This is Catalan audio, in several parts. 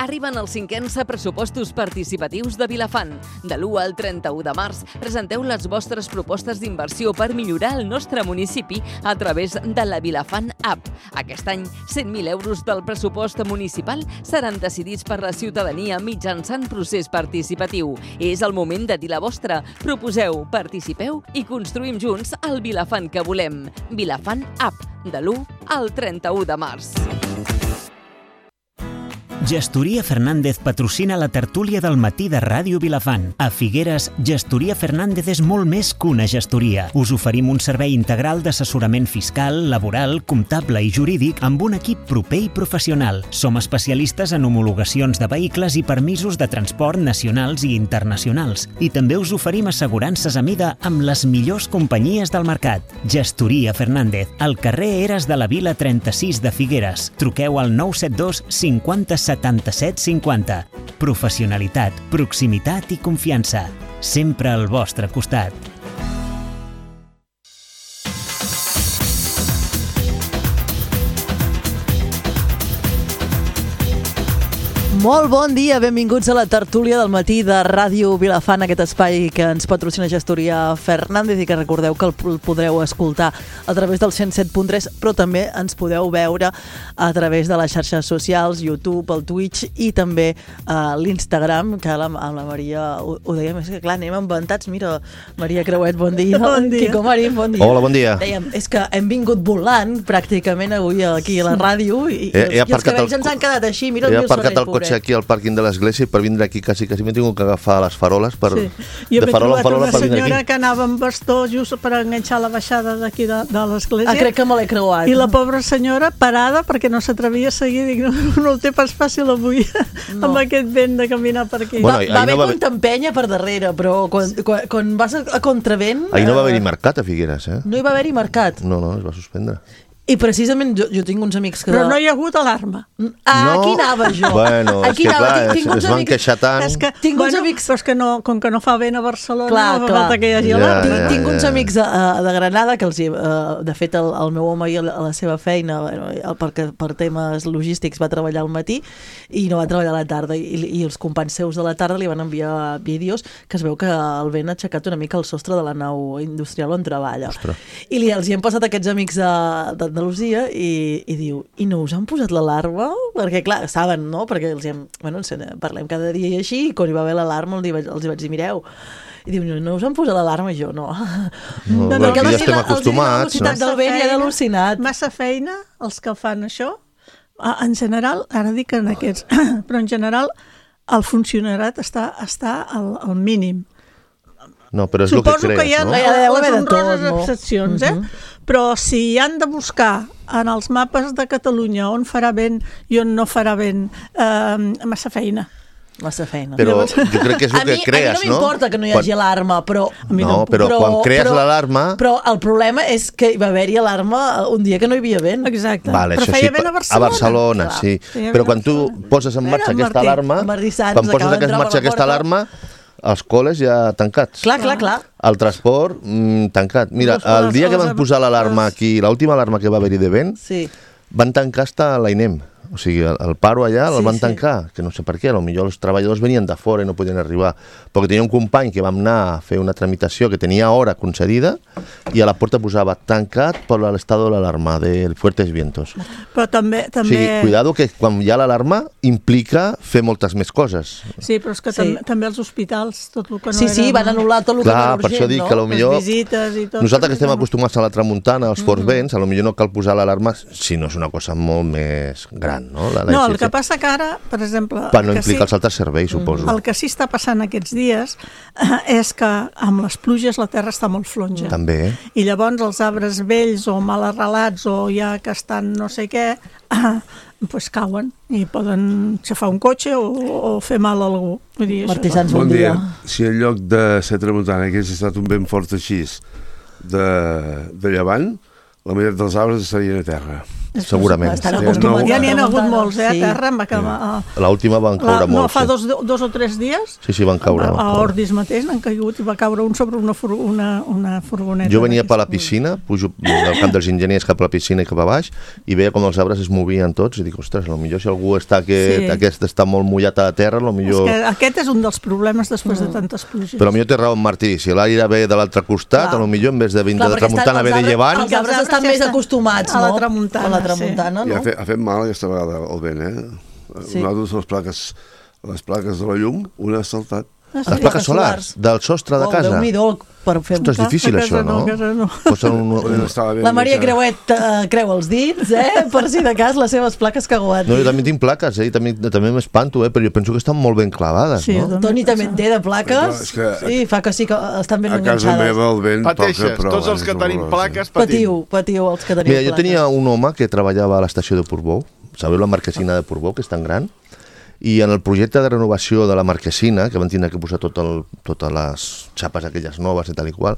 Arriben els 5ens pressupostos participatius de Vilafant. De l'1 al 31 de març presenteu les vostres propostes d'inversió per millorar el nostre municipi a través de la Vilafant App. Aquest any, 100.000 euros del pressupost municipal seran decidits per la ciutadania mitjançant procés participatiu. És el moment de dir la vostra. Proposeu, participeu i construïm junts el Vilafant que volem. Vilafant App, de l'1 al 31 de març. Gestoria Fernández patrocina la tertúlia del matí de Ràdio Vilafant. A Figueres, Gestoria Fernández és molt més que una gestoria. Us oferim un servei integral d'assessorament fiscal, laboral, comptable i jurídic amb un equip proper i professional. Som especialistes en homologacions de vehicles i permisos de transport nacionals i internacionals. I també us oferim assegurances a mida amb les millors companyies del mercat. Gestoria Fernández, al carrer Eres de la Vila 36 de Figueres. Truqueu al 972 50 77 50. Professionalitat, proximitat i confiança. Sempre al vostre costat. Molt bon dia, benvinguts a la tertúlia del matí de Ràdio Vilafant, aquest espai que ens patrocina Gestoria Fernández i que recordeu que el podreu escoltar a través del 107.3, però també ens podeu veure a través de les xarxes socials, YouTube, el Twitch i també l'Instagram, que amb la Maria ho dèiem, és que clar, anem inventats. Mira, Maria Creuet, bon dia. Bon dia. Quico Marín, bon dia. Hola, bon dia. Dèiem, és que hem vingut volant pràcticament avui aquí a la ràdio i els cabells ens han quedat així. Mira el meu Sorell, pobret. Aquí al pàrquing de l'església i per vindre aquí quasi m'he tingut que agafar les faroles per, jo de farola en farola per vindre aquí. Senyora que anava amb bastó just per enganxar la baixada d'aquí de l'església. Crec que me l'he creuat. I la pobra senyora parada perquè no s'atrevia a seguir. Dic, no ho té pas fàcil avui amb aquest vent de caminar per aquí. Bueno, va haver quan t'empenya per darrere, però quan vas a contravent... Ahir no va haver-hi mercat a Figueres, eh? No hi va haver-hi mercat. No, es va suspendre. I precisament jo tinc uns amics que... Però no hi ha hagut alarma. Aquí anava jo. Bueno, és que clar, es van queixar tant. Tinc uns amics... Però és que com que no fa vent a Barcelona, no fa falta que hi hagi alarma. Tinc uns amics de Granada que de fet el meu home a la seva feina, per temes logístics, va treballar al matí i no va treballar a la tarda. I els companys seus de la tarda li van enviar vídeos que es veu que el vent ha aixecat una mica el sostre de la nau industrial on treballa. Ostres. I els hi han passat aquests amics d'Andalusia i diu, i no us han posat l'alarma? Perquè clar, saben, no? Perquè parlem cada dia i així, i quan hi va haver l'alarma els hi vaig dir, mireu, i diu, no us han posat l'alarma? I jo, no. Aquí ja estem acostumats. La velocitat del vent ja ha al·lucinat. Massa feina, els que fan això. En general, ara dic en aquests, però en general el funcionariat està al mínim. No, però és el que crees, no? Suposo que hi ha les honroses excepcions, però si han de buscar en els mapes de Catalunya on farà vent i on no farà vent, massa feina. Però jo crec que és el que crees, no? A mi no m'importa que no hi hagi alarma, però... No, però quan crees l'alarma... Però el problema és que hi va haver-hi alarma un dia que no hi havia vent. Exacte. Però feia vent a Barcelona. A Barcelona, sí. Però quan tu poses en marxa aquesta alarma, els col·les ja tancats. Clar. El transport tancat. Mira, el dia que van posar l'alarma aquí, l'última alarma que va haver-hi de vent, van tancar hasta l'AINEM. O sigui, el paro allà el van tancar, que no sé per què, potser els treballadors venien de fora i no podien arribar, perquè tenia un company que vam anar a fer una tramitació que tenia hora concedida i a la porta posava tancat per l'estado de l'alarma de fuertes vientos. Però també... O sigui, cuidado que quan hi ha l'alarma implica fer moltes més coses. Sí, però és que també els hospitals, tot el que no era... Sí, van anul·lar tot el que no era urgent, no? Per això dic que les visites i tot... Nosaltres que estem acostumats a la tramuntana, als forts vents, potser no cal posar l'alarma si no és una cosa molt més gran. No, el que passa que ara, per exemple... Per no implicar els altres serveis, suposo. El que sí està passant aquests dies és que amb les pluges la terra està molt flonja. També. I llavors els arbres vells o mal arrelats o ja que estan no sé què, doncs cauen i poden xafar un cotxe o fer mal a algú. Martí Sans, bon dia. Si en lloc de ser tramuntana hagués estat un vent fort així de llevant, la meitat dels arbres estarien a terra. segurament. Ja n'hi ha hagut molts, a terra. L'última van caure molts. No, fa 2 o 3 dies. Sí, van caure. A Ordis mateix n'han caigut i va caure un sobre una furgoneta. Jo venia per la piscina, pujo del camp dels enginyers cap a la piscina i cap a baix, i veia com els arbres es movien tots, i dic, ostres, potser si algú està molt mullat a la terra, potser... Aquest és un dels problemes després de tantes pluges. Però potser té raó en Martí, si l'aire ve de l'altre costat, potser en vez de vindre de tramuntana ve de llevant... Els arbres estan més acostumats, no? A la tramuntana, no? I ha fet mal aquesta vegada el vent, Una de les plaques de la llum, una ha saltat. Les plaques solars del sostre de casa. Déu-n'hi-do per fer... Ostres, és difícil això, no? La Maria Creuet creu els dits, per si de cas les seves plaques caguat. No, jo també tinc plaques, i també m'espanto, però jo penso que estan molt ben clavades, no? Toni també en té de plaques, i fa que sí que estan ben enganxades. A casa meva el vent pateixes, tots els que tenim plaques patiu els que tenim plaques. Mira, jo tenia un home que treballava a l'estació de Portbou, sabeu la marquesina de Portbou, que és tan gran? I en el projecte de renovació de la marquesina, que van tindre que posar totes les xapes aquelles noves i tal i qual,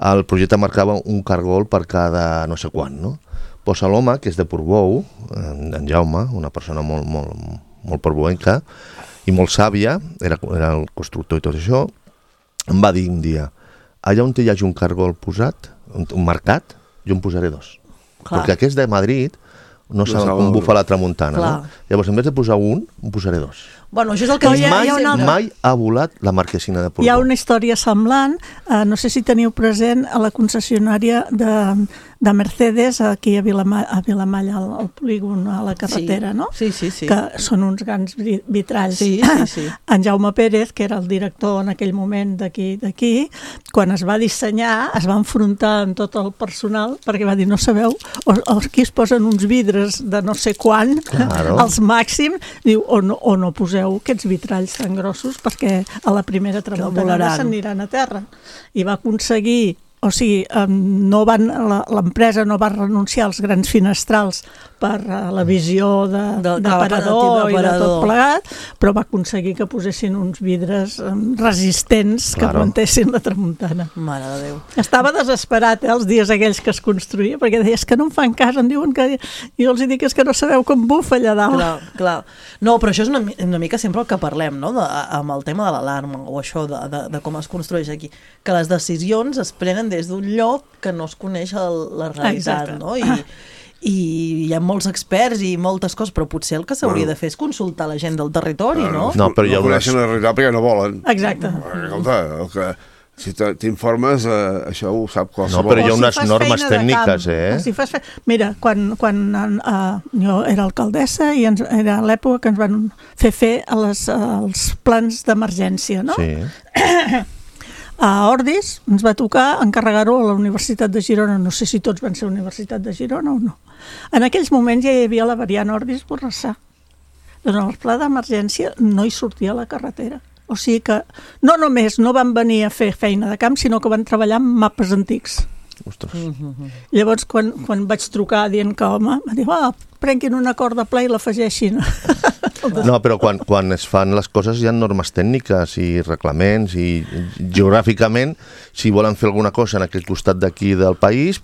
el projecte marcava un cargol per cada no sé quant, no? Pues l'home, que és de Portbou, en Jaume, una persona molt portbouenca i molt sàvia, era el constructor i tot això, em va dir un dia, allà on hi hagi un cargol posat, un marcat, jo en posaré 2. Perquè aquest de Madrid no saben com bufa la tramuntana, no? Llavors, en vez de posar un, en posaré 2. Bueno, això és el que mai ha volat la marquesina de Portbou. Hi ha una història semblant, no sé si teniu present a la concessionària de Mercedes aquí a Vilamalla, al polígon, a la carretera, no? Sí. Que són uns grans vitralls. Sí. En Jaume Pérez, que era el director en aquell moment d'aquí, quan es va dissenyar, es va enfrontar amb tot el personal, perquè va dir, no sabeu, aquí es posen uns vidres de no sé quan, els màxims, diu, o no poseu aquests vitralls tan grossos perquè a la primera tramuntana s'aniran a terra. I va aconseguir, o sigui, l'empresa no va renunciar als grans finestrals per la visió d'aparador i de tot plegat, però va aconseguir que posessin uns vidres resistents que aguantessin la tramuntana. Mare de Déu. Estava desesperat, els dies aquells que es construïa, perquè deia, és que no em fan cas, em diuen que... Jo els dic, és que no sabeu com bufa allà dalt. Clar. No, però això és una mica sempre el que parlem, no?, amb el tema de l'alarma, o això de com es construeix aquí, que les decisions es prenen des d'un lloc que no es coneix la realitat, no? I hi ha molts experts i moltes coses, però potser el que s'hauria de fer és consultar la gent del territori, no? No, però no coneixen la realitat perquè no volen. Exacte. Escolta, si t'informes, això ho sap qualsevol. No, però hi ha unes normes tècniques, Mira, quan jo era alcaldessa i era l'època que ens van fer els plans d'emergència, no? Sí. A Ordis ens va tocar encarregar-ho a la Universitat de Girona. No sé si tots van ser a la Universitat de Girona o no. En aquells moments ja hi havia la variant Ordis-Borrassà. Doncs en el pla d'emergència no hi sortia la carretera. O sigui que no només no van venir a fer feina de camp, sinó que van treballar amb mapes antics. Ostres. Llavors, quan vaig trucar dient que, home, va dir, prenguin una corda pla i l'afegeixin. No, però quan es fan les coses hi ha normes tècniques i reglaments i geogràficament, si volen fer alguna cosa en aquest costat d'aquí del país,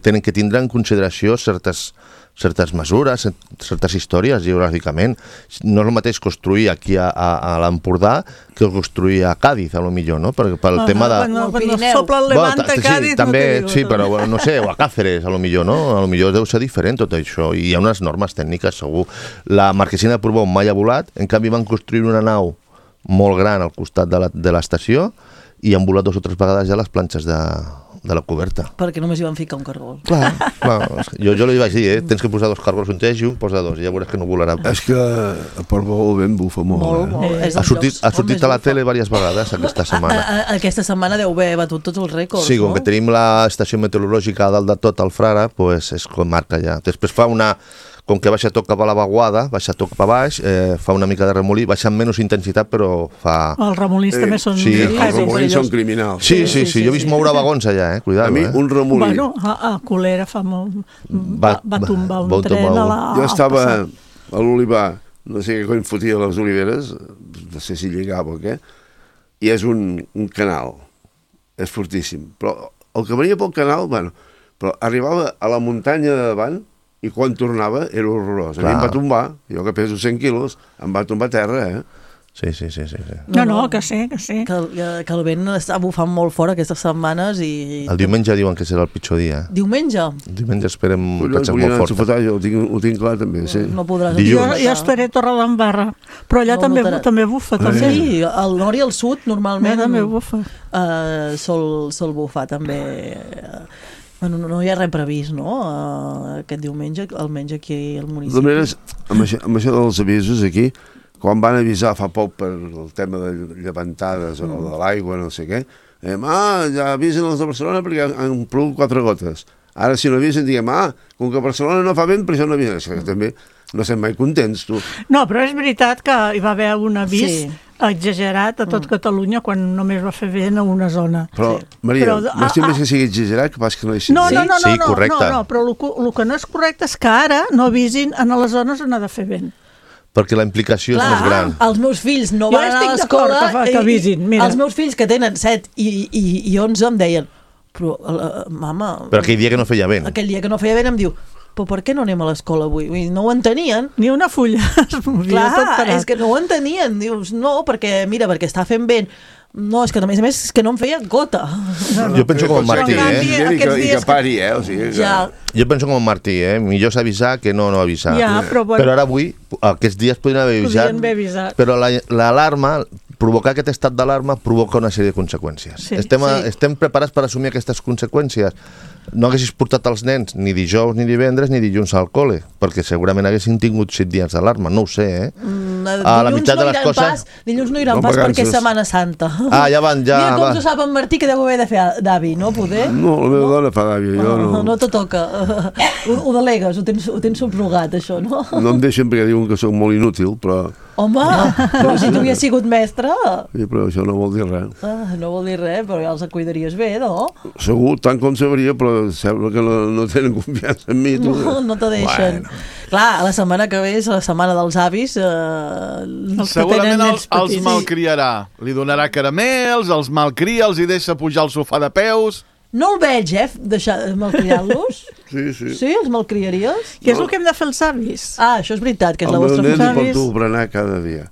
tenen que tindre en consideració certes mesures, certes històries geogràficament. No és el mateix construir aquí a l'Empordà que construir a Càdiz, a lo millor, no? Pel tema de... Quan sopla el Levant a Càdiz, no t'ho dic. Sí, però no sé, o a Càceres, a lo millor, no? A lo millor deu ser diferent tot això, i hi ha unes normes tècniques, segur. La marquesina de Portbou mai ha volat, en canvi van construir una nau molt gran al costat de l'estació i han volat 2 o 3 vegades ja les planxes de la coberta. Perquè només hi van ficar un cargol. Clar. Jo li vaig dir, tens que posar 2 cargols, un teix i un posa 2, i ja veuràs que no volarà. És que a Portbou el vent bufa molt. Ha sortit a la tele diverses vegades aquesta setmana. Aquesta setmana deu haver batut tots els rècords, sí, com que tenim l'estació meteorològica a dalt de tot, al Frara, és com marca ja. Després fa com que baixa tot cap a la vaguada, baixa tot cap a baix, fa una mica de remolí, baixa amb menys intensitat, però fa... Els remolins també són... Sí, els remolins són criminals. Sí, jo he vist moure vagons allà, cuidado. A mi, un remolí... Bueno, a Colera fa molt... Va tombar un tren a la... Jo estava a l'Olivar, no sé què cony fotia les oliveres, no sé si lligava o què, i és un canal, és fortíssim. Però el que venia pel canal, però arribava a la muntanya de davant i quan tornava era horrorós. A mi em va tombar, jo que peso 100 quilos, em va tombar a terra, Sí. No, que sí. Que el vent està bufant molt fort aquestes setmanes i... El diumenge diuen que serà el pitjor dia. Diumenge? El diumenge esperem que sigui molt fort. Jo ho tinc clar també, sí. No podràs... Jo estaré a Torredembarra, però allà també bufa. Sí, al nord i al sud normalment també bufa. Sol bufar també. Bueno, no hi ha res previst, no? Aquest diumenge, almenys aquí al municipi. De maneres, amb això dels avisos aquí, quan van avisar fa poc per el tema de llevantades o de l'aigua, no sé què, ja avisen els de Barcelona perquè han plogut 4 gotes. Ara si no avisen diguem, com que Barcelona no fa vent, per això no avisen. Això també no estem mai contents, tu. No, però és veritat que hi va haver un avís exagerat a tot Catalunya quan només va fer vent a una zona. Però, Maria, m'estim més que sigui exagerat que pas que no hi sigui. No, correcte. però el que no és correcte és que ara no avisin a les zones on ha de fer vent. Perquè la implicació és més gran. Els meus fills no van anar a l'escola que avisin, mira. Els meus fills que tenen 7 i 11 em deien mama... Però aquell dia que no feia vent. Aquell dia que no feia vent em diu però per què no anem a l'escola avui? No ho entenien. Ni una fulla es movia. Clar, és que no ho entenien. Dius, no, perquè està fent vent. No, és que a més és que no em feia gota. Jo penso com en Martí, I que pari, o sigui... Jo penso com en Martí, millor és avisar que no avisar. Però ara avui, aquests dies podrien haver avisat. Però l'alarma, provocar aquest estat d'alarma provoca una sèrie de conseqüències. Estem preparats per assumir aquestes conseqüències. No haguessis portat els nens ni dijous, ni divendres, ni dilluns al col·le, perquè segurament haguessin tingut 7 dies d'alarma, no ho sé, A la meitat de les coses... Dilluns no iran pas perquè és Setmana Santa. Ja van. Mira com s'ho sap en Martí, que deu haver de fer d'avi, no, poder? No, la meva dona fa d'avi, jo no. No te toca. Ho delegues, ho tens subrogat, això, no? No em deixen perquè diuen que sóc molt inútil, però... Home, però si tu havies sigut mestre... Sí, però això no vol dir res. No vol dir res, però ja els cuidaries bé, no? Segur, tant com sabria, però sembla que no tenen confiança en mi. No te deixen. Clar, la setmana que ve és la setmana dels avis. Segurament els malcriarà. Li donarà caramels, els malcria, els hi deixa pujar al sofà de peus... No el veig, deixar malcriar-los. Sí. Sí, els malcriaries? Què és el que hem de fer els avis? Això és veritat, que és la vostra funció. El meu nen avis. porto berenar cada dia.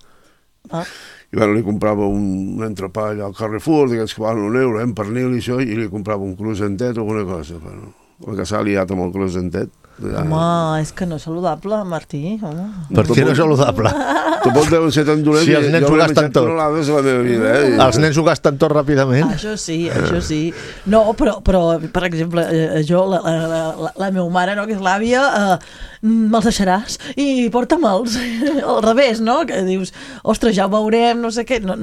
I li comprava un entrepà allà al Carrefour, d'aquests que valen €1, en pernil i això, i li comprava un croissantet o alguna cosa. Però el que s'ha liat amb el croissantet. Home, és que no és saludable, Martí. Per què no és saludable? Tampoc deuen ser tan dolents. Si els nens ho gasten tot. Els nens ho gasten tot ràpidament. Això sí. No, però per exemple, jo, la meva mare, no, que és l'àvia, me'ls deixaràs i porta-me'ls. Al revés, no? Que dius, ostres, ja ho veurem, no sé què. No,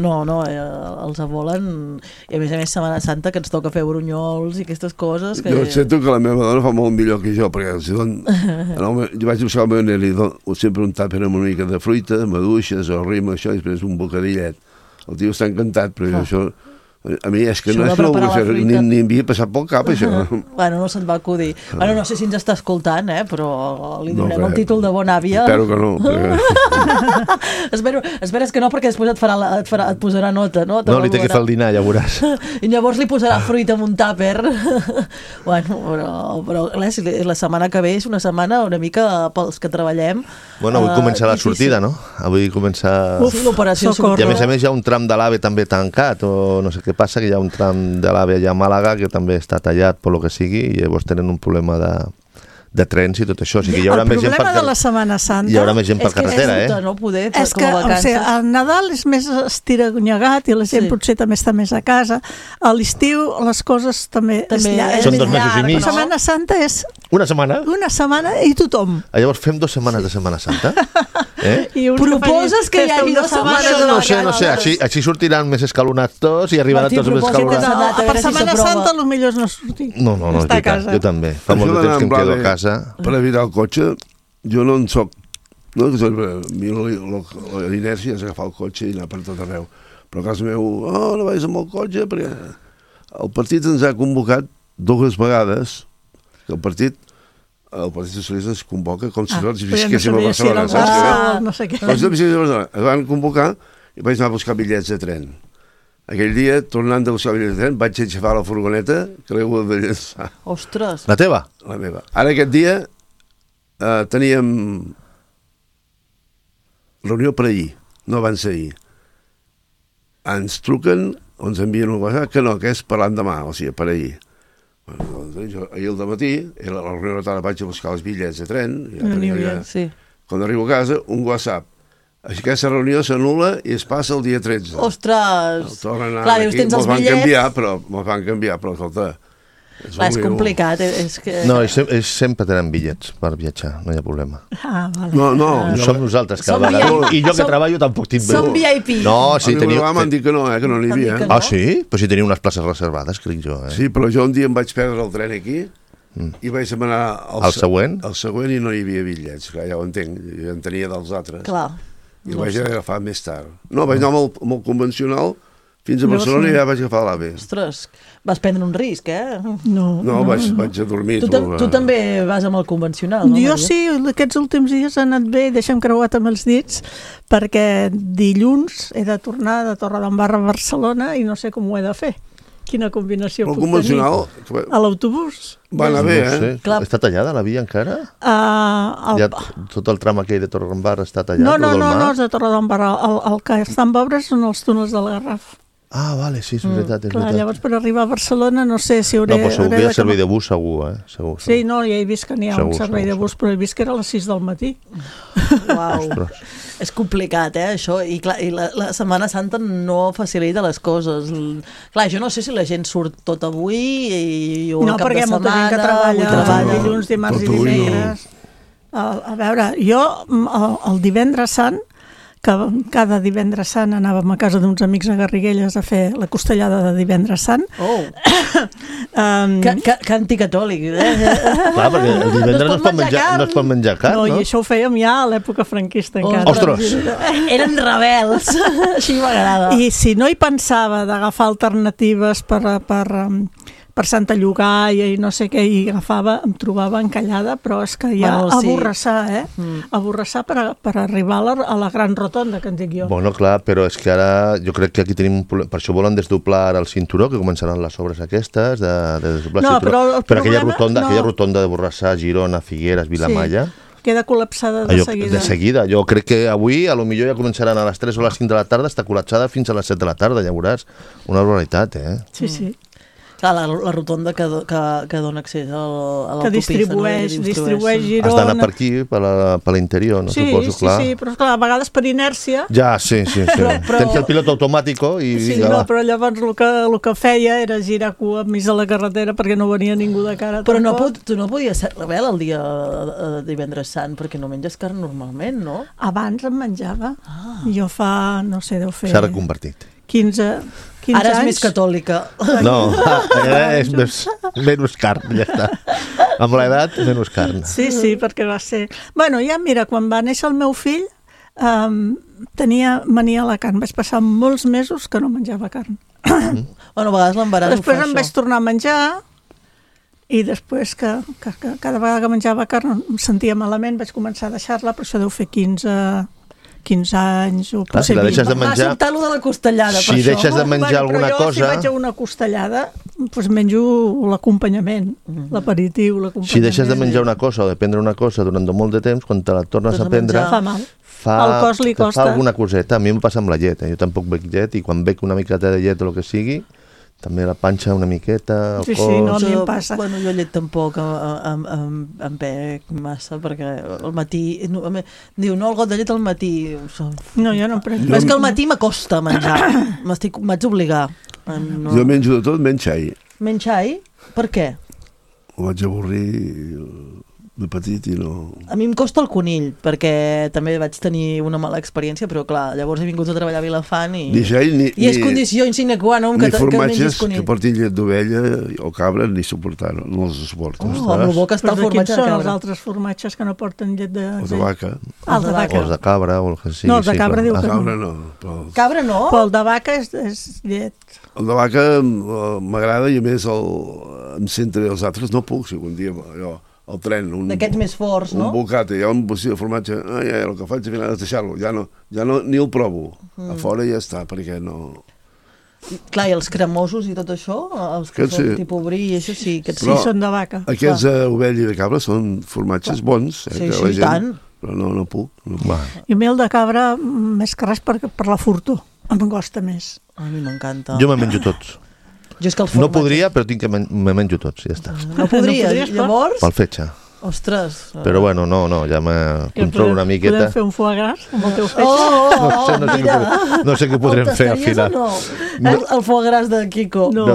els volen. I a més Setmana Santa, que ens toca fer brunyols i aquestes coses. Jo sento que la meva dona fa molt millor que jo, perquè jo vaig buscar el meu nen i sempre un tàper amb una mica de fruita, maduixes o rima, això, i després un bocadillet. El tio està encantat, però això... A mi és que no ho vull fer, ni em havia passat pel cap, això. Bueno, no se't va acudir. Bueno, no sé si ens està escoltant, però li donem el títol de bona àvia. Espero que no. Esperes que no, perquè després et posarà nota, no? No, li té que fer el dinar, ja veuràs. I llavors li posarà fruita amb un tàper. Bueno, però la setmana que ve és una setmana una mica pels que treballem. Bueno, avui comença la sortida, no? Avui comença... l'operació Socorro. I a més hi ha un tram de l'AVE també tancat, o no sé què passa, que hi ha un tram de l'AVE allà a Màlaga que també està tallat per lo que sigui, i llavors tenen un problema de trens i tot això. O sigui, hi haurà més gent per de la Setmana Santa hi haurà més gent per carretera, no poder, és que el Nadal és més estiranyegat i la gent potser també està més a casa. A l'estiu les coses també són 2 mesos i mig. La Setmana Santa és una setmana i tothom. Llavors fem 2 setmanes de Setmana Santa? Proposes que hi hagi 2 setmanes? No sé, així sortiran més escalonats tots i arribaran tots més escalonats. Per Setmana Santa potser no sortir. No, és veritat, jo també. Fa molt de temps que em quedo a casa. Per evitar el cotxe, jo no en soc... L'inèrcia és agafar el cotxe i anar per tot arreu. Però a casa meu, no vagis amb el cotxe, perquè el partit ens ha convocat 2 vegades, que el Partit Socialista es convoca com si tots visquéssim a Barcelona. No sé què. Es van convocar i vaig anar a buscar bitllets de tren. Aquell dia, tornant de buscar bitllets de tren, vaig aixafar la furgoneta que l'he hagut de llençar. Ostres! La teva? La meva. Ara aquest dia teníem reunió per ahir, no abans d'ahir. Ens truquen, o ens envien un WhatsApp, que no, que és per l'endemà, o sigui, per ahir. Bueno, doncs, ahir al matí, la reunió de tarda vaig a buscar els bitllets de tren, quan arribo a casa, un WhatsApp. Aquesta reunió s'anul·la i es passa el dia 13. Ostres! Clar, dius, tens els bitllets... Me'ls van canviar, però escolta... Clar, és complicat. No, sempre tenen bitllets per viatjar, no hi ha problema. Vale. No, som nosaltres cada vegada. I jo que treballo tampoc tinc... Som VIP. No, sí, teniu... M'han dit que no n'hi havia. Ah, sí? Però si teniu unes places reservades, crec jo. Sí, però jo un dia em vaig perdre el tren aquí i vaig demanar... El següent? El següent i no hi havia bitllets, clar, ja ho entenc, jo en tenia dels altres. Clar. I el vaig agafar més tard. No, vaig anar amb el convencional fins a Barcelona i ja vaig agafar l'AVE. Ostres, vas prendre un risc, No, vaig a dormir. Tu també vas amb el convencional, no? Jo sí, aquests últims dies han anat bé, deixa'm creuat amb els dits, perquè dilluns he de tornar de Torredembarra a Barcelona i no sé com ho he de fer. Quina combinació puc convencional, tenir. A l'autobús. Va anar bé, Està tallada la via encara? Tot el tram aquell de Torredembarra està tallat? No, és de Torredembarra. El que estan obres són els túnels del Garraf. Ah, vale, sí, és veritat. Clar, llavors per arribar a Barcelona no sé si hauré... No, però segur que hi ha servei de bus, segur, Segur. Sí, no, ja he vist que n'hi ha un servei de bus, però he vist que era a les 6 del matí. Uau, és complicat, això, i clar, la Setmana Santa no facilita les coses. Clar, jo no sé si la gent surt tot avui o el cap de setmana... No, perquè hi ha molta gent que treballa dilluns, dimarts i dimecres. A veure, jo el divendres sant, que cada divendres sant anàvem a casa d'uns amics a Garriguelles a fer la costellada de divendres sant. Que anticatòlic, Clar, perquè el divendres no es pot menjar carn, no? I això ho fèiem ja a l'època franquista encara. Ostres! Eren rebels, així m'agrada. I si no hi pensava d'agafar alternatives per Santa Llogaia i no sé què, i em trobava encallada, però és que ja aborrassar, aborrassar per arribar a la gran rotonda, que en dic jo. Bueno, clar, però és que ara jo crec que aquí tenim un problema. Per això volen desdoblar el cinturó, que començaran les obres aquestes de desdoblar el cinturó. Però aquella rotonda de Borrassà, Girona, Figueres, Vilamalla... Queda col·lapsada de seguida. De seguida. Jo crec que avui, a lo millor ja començaran a les 3 o a les 5 de la tarda, està col·lapsada fins a les 7 de la tarda, ja veuràs. Una barbaritat, Sí. Clar, la rotonda que dona accés a l'autopista. Que distribueix Girona. Has d'anar per aquí, per l'interior, no? Suposo, clar. Sí, però clar, a vegades per inèrcia... Ja, sí. Tens el pilot automàtic i... Sí, no, però llavors el que feia era girar cua més a la carretera perquè no venia ningú de cara. Però tu no podies ser rebel el dia de divendres sant, perquè no menges carn normalment, no? Abans em menjava. Jo fa, no sé, deu fer... S'ha reconvertit. 15 Ara és anys. més catòlica. No, és menys carn, ja està. Amb l'edat, menys carn. Sí, perquè va ser... Bueno, ja mira, quan va néixer el meu fill, tenia mania a la carn. Vaig passar molts mesos que no menjava carn. Bueno, a vegades l'embaràs ho fa això. Després em vaig tornar a menjar i després que cada vegada que menjava carn em sentia malament, vaig començar a deixar-la, però això deu fer 15 anys o potser 20. Si va sobtar allò de la costellada, si deixes de menjar alguna cosa... Si vaig a una costellada, doncs menjo l'acompanyament, l'aperitiu, l'acompanyament. Si deixes de menjar una cosa o de prendre una cosa durant molt de temps, quan te la tornes a prendre... Fa mal. Al cos li costa. Fa alguna coseta. A mi em passa amb la llet. Jo tampoc bec llet i quan bec una miqueta de llet o el que sigui, també la panxa una miqueta, el cos... Sí, no, a mi em passa. Bueno, jo llet tampoc em bec massa, perquè al matí... Diu, no, el got de llet al matí... No, jo no prenc. És que al matí m'acosta menjar. M'haig d'obligar. Jo menjo de tot, menys xai. Menys xai? Per què? Ho vaig avorrir de petit i no... A mi em costa el conill, perquè també vaig tenir una mala experiència, però clar, llavors he vingut a treballar a Vilafant i... I és condició sine qua non que mengis conill. Ni formatges que portin llet d'ovella o cabra ni suportar, no els suporto. El bo que està el formatge de cabra. Quins són els altres formatges que no porten llet de... Els de vaca. Els de cabra o el que sigui. No, els de cabra diu que no. Cabra no. Cabra no? Però el de vaca és llet. El de vaca m'agrada i a més em sento bé. Els altres no puc, si algun dia allò... el tren, d'aquests més forts, no? Un bocata, hi ha un bocí de formatge, el que faig al final és deixar-lo, ja no, ni el provo, a fora ja està, perquè no... Clar, i els cremosos i tot això, els que són tipus brie i això sí, aquests sí, són de vaca. Aquests ovella i de cabra són formatges bons. Sí, sí, tant. Però no puc. I mel de cabra, més que res per la furto. Em costa més. A mi m'encanta. Jo me'n menjo tots. No podria, però tinc que me menjo tots, ja està. No podries, llavors? Pel fetge. Ostres. Però bueno, no, ja me controlo una miqueta. Podem fer un foie gras amb el teu fetge? No sé què podrem fer al final. El foie gras de Quico. No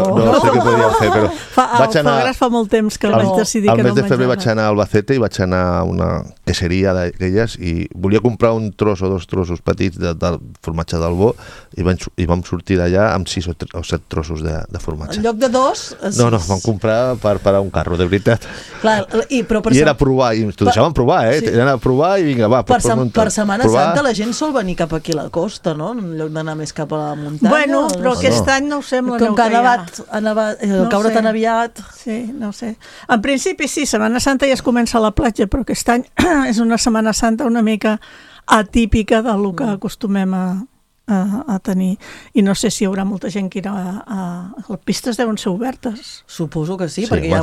sé què podríem fer, però... El foie gras fa molt temps que vaig decidir que no el menjava. Al mes de febrer vaig anar a Albacete i vaig anar a una queseria d'aquelles i volia comprar un tros o 2 trossos petits del formatge d'Albó i vam sortir d'allà amb 6 o 7 trossos de formatge. En lloc de 2? No, vam comprar per a un carro, de veritat. Clar, I era a provar, i t'ho deixaven provar, Era a provar i vinga, va. Per Setmana Santa la gent sol venir cap aquí a la costa, no? En lloc d'anar més cap a la muntanya. Bueno, però aquest any no ho sembla. Com que ha nevat, caure tan aviat. Sí, no ho sé. En principi sí, Setmana Santa ja es comença a la platja, però aquest any és una Setmana Santa una mica atípica del que acostumem a tenir, i no sé si hi haurà molta gent que irà les pistes deuen ser obertes. Suposo que sí, perquè hi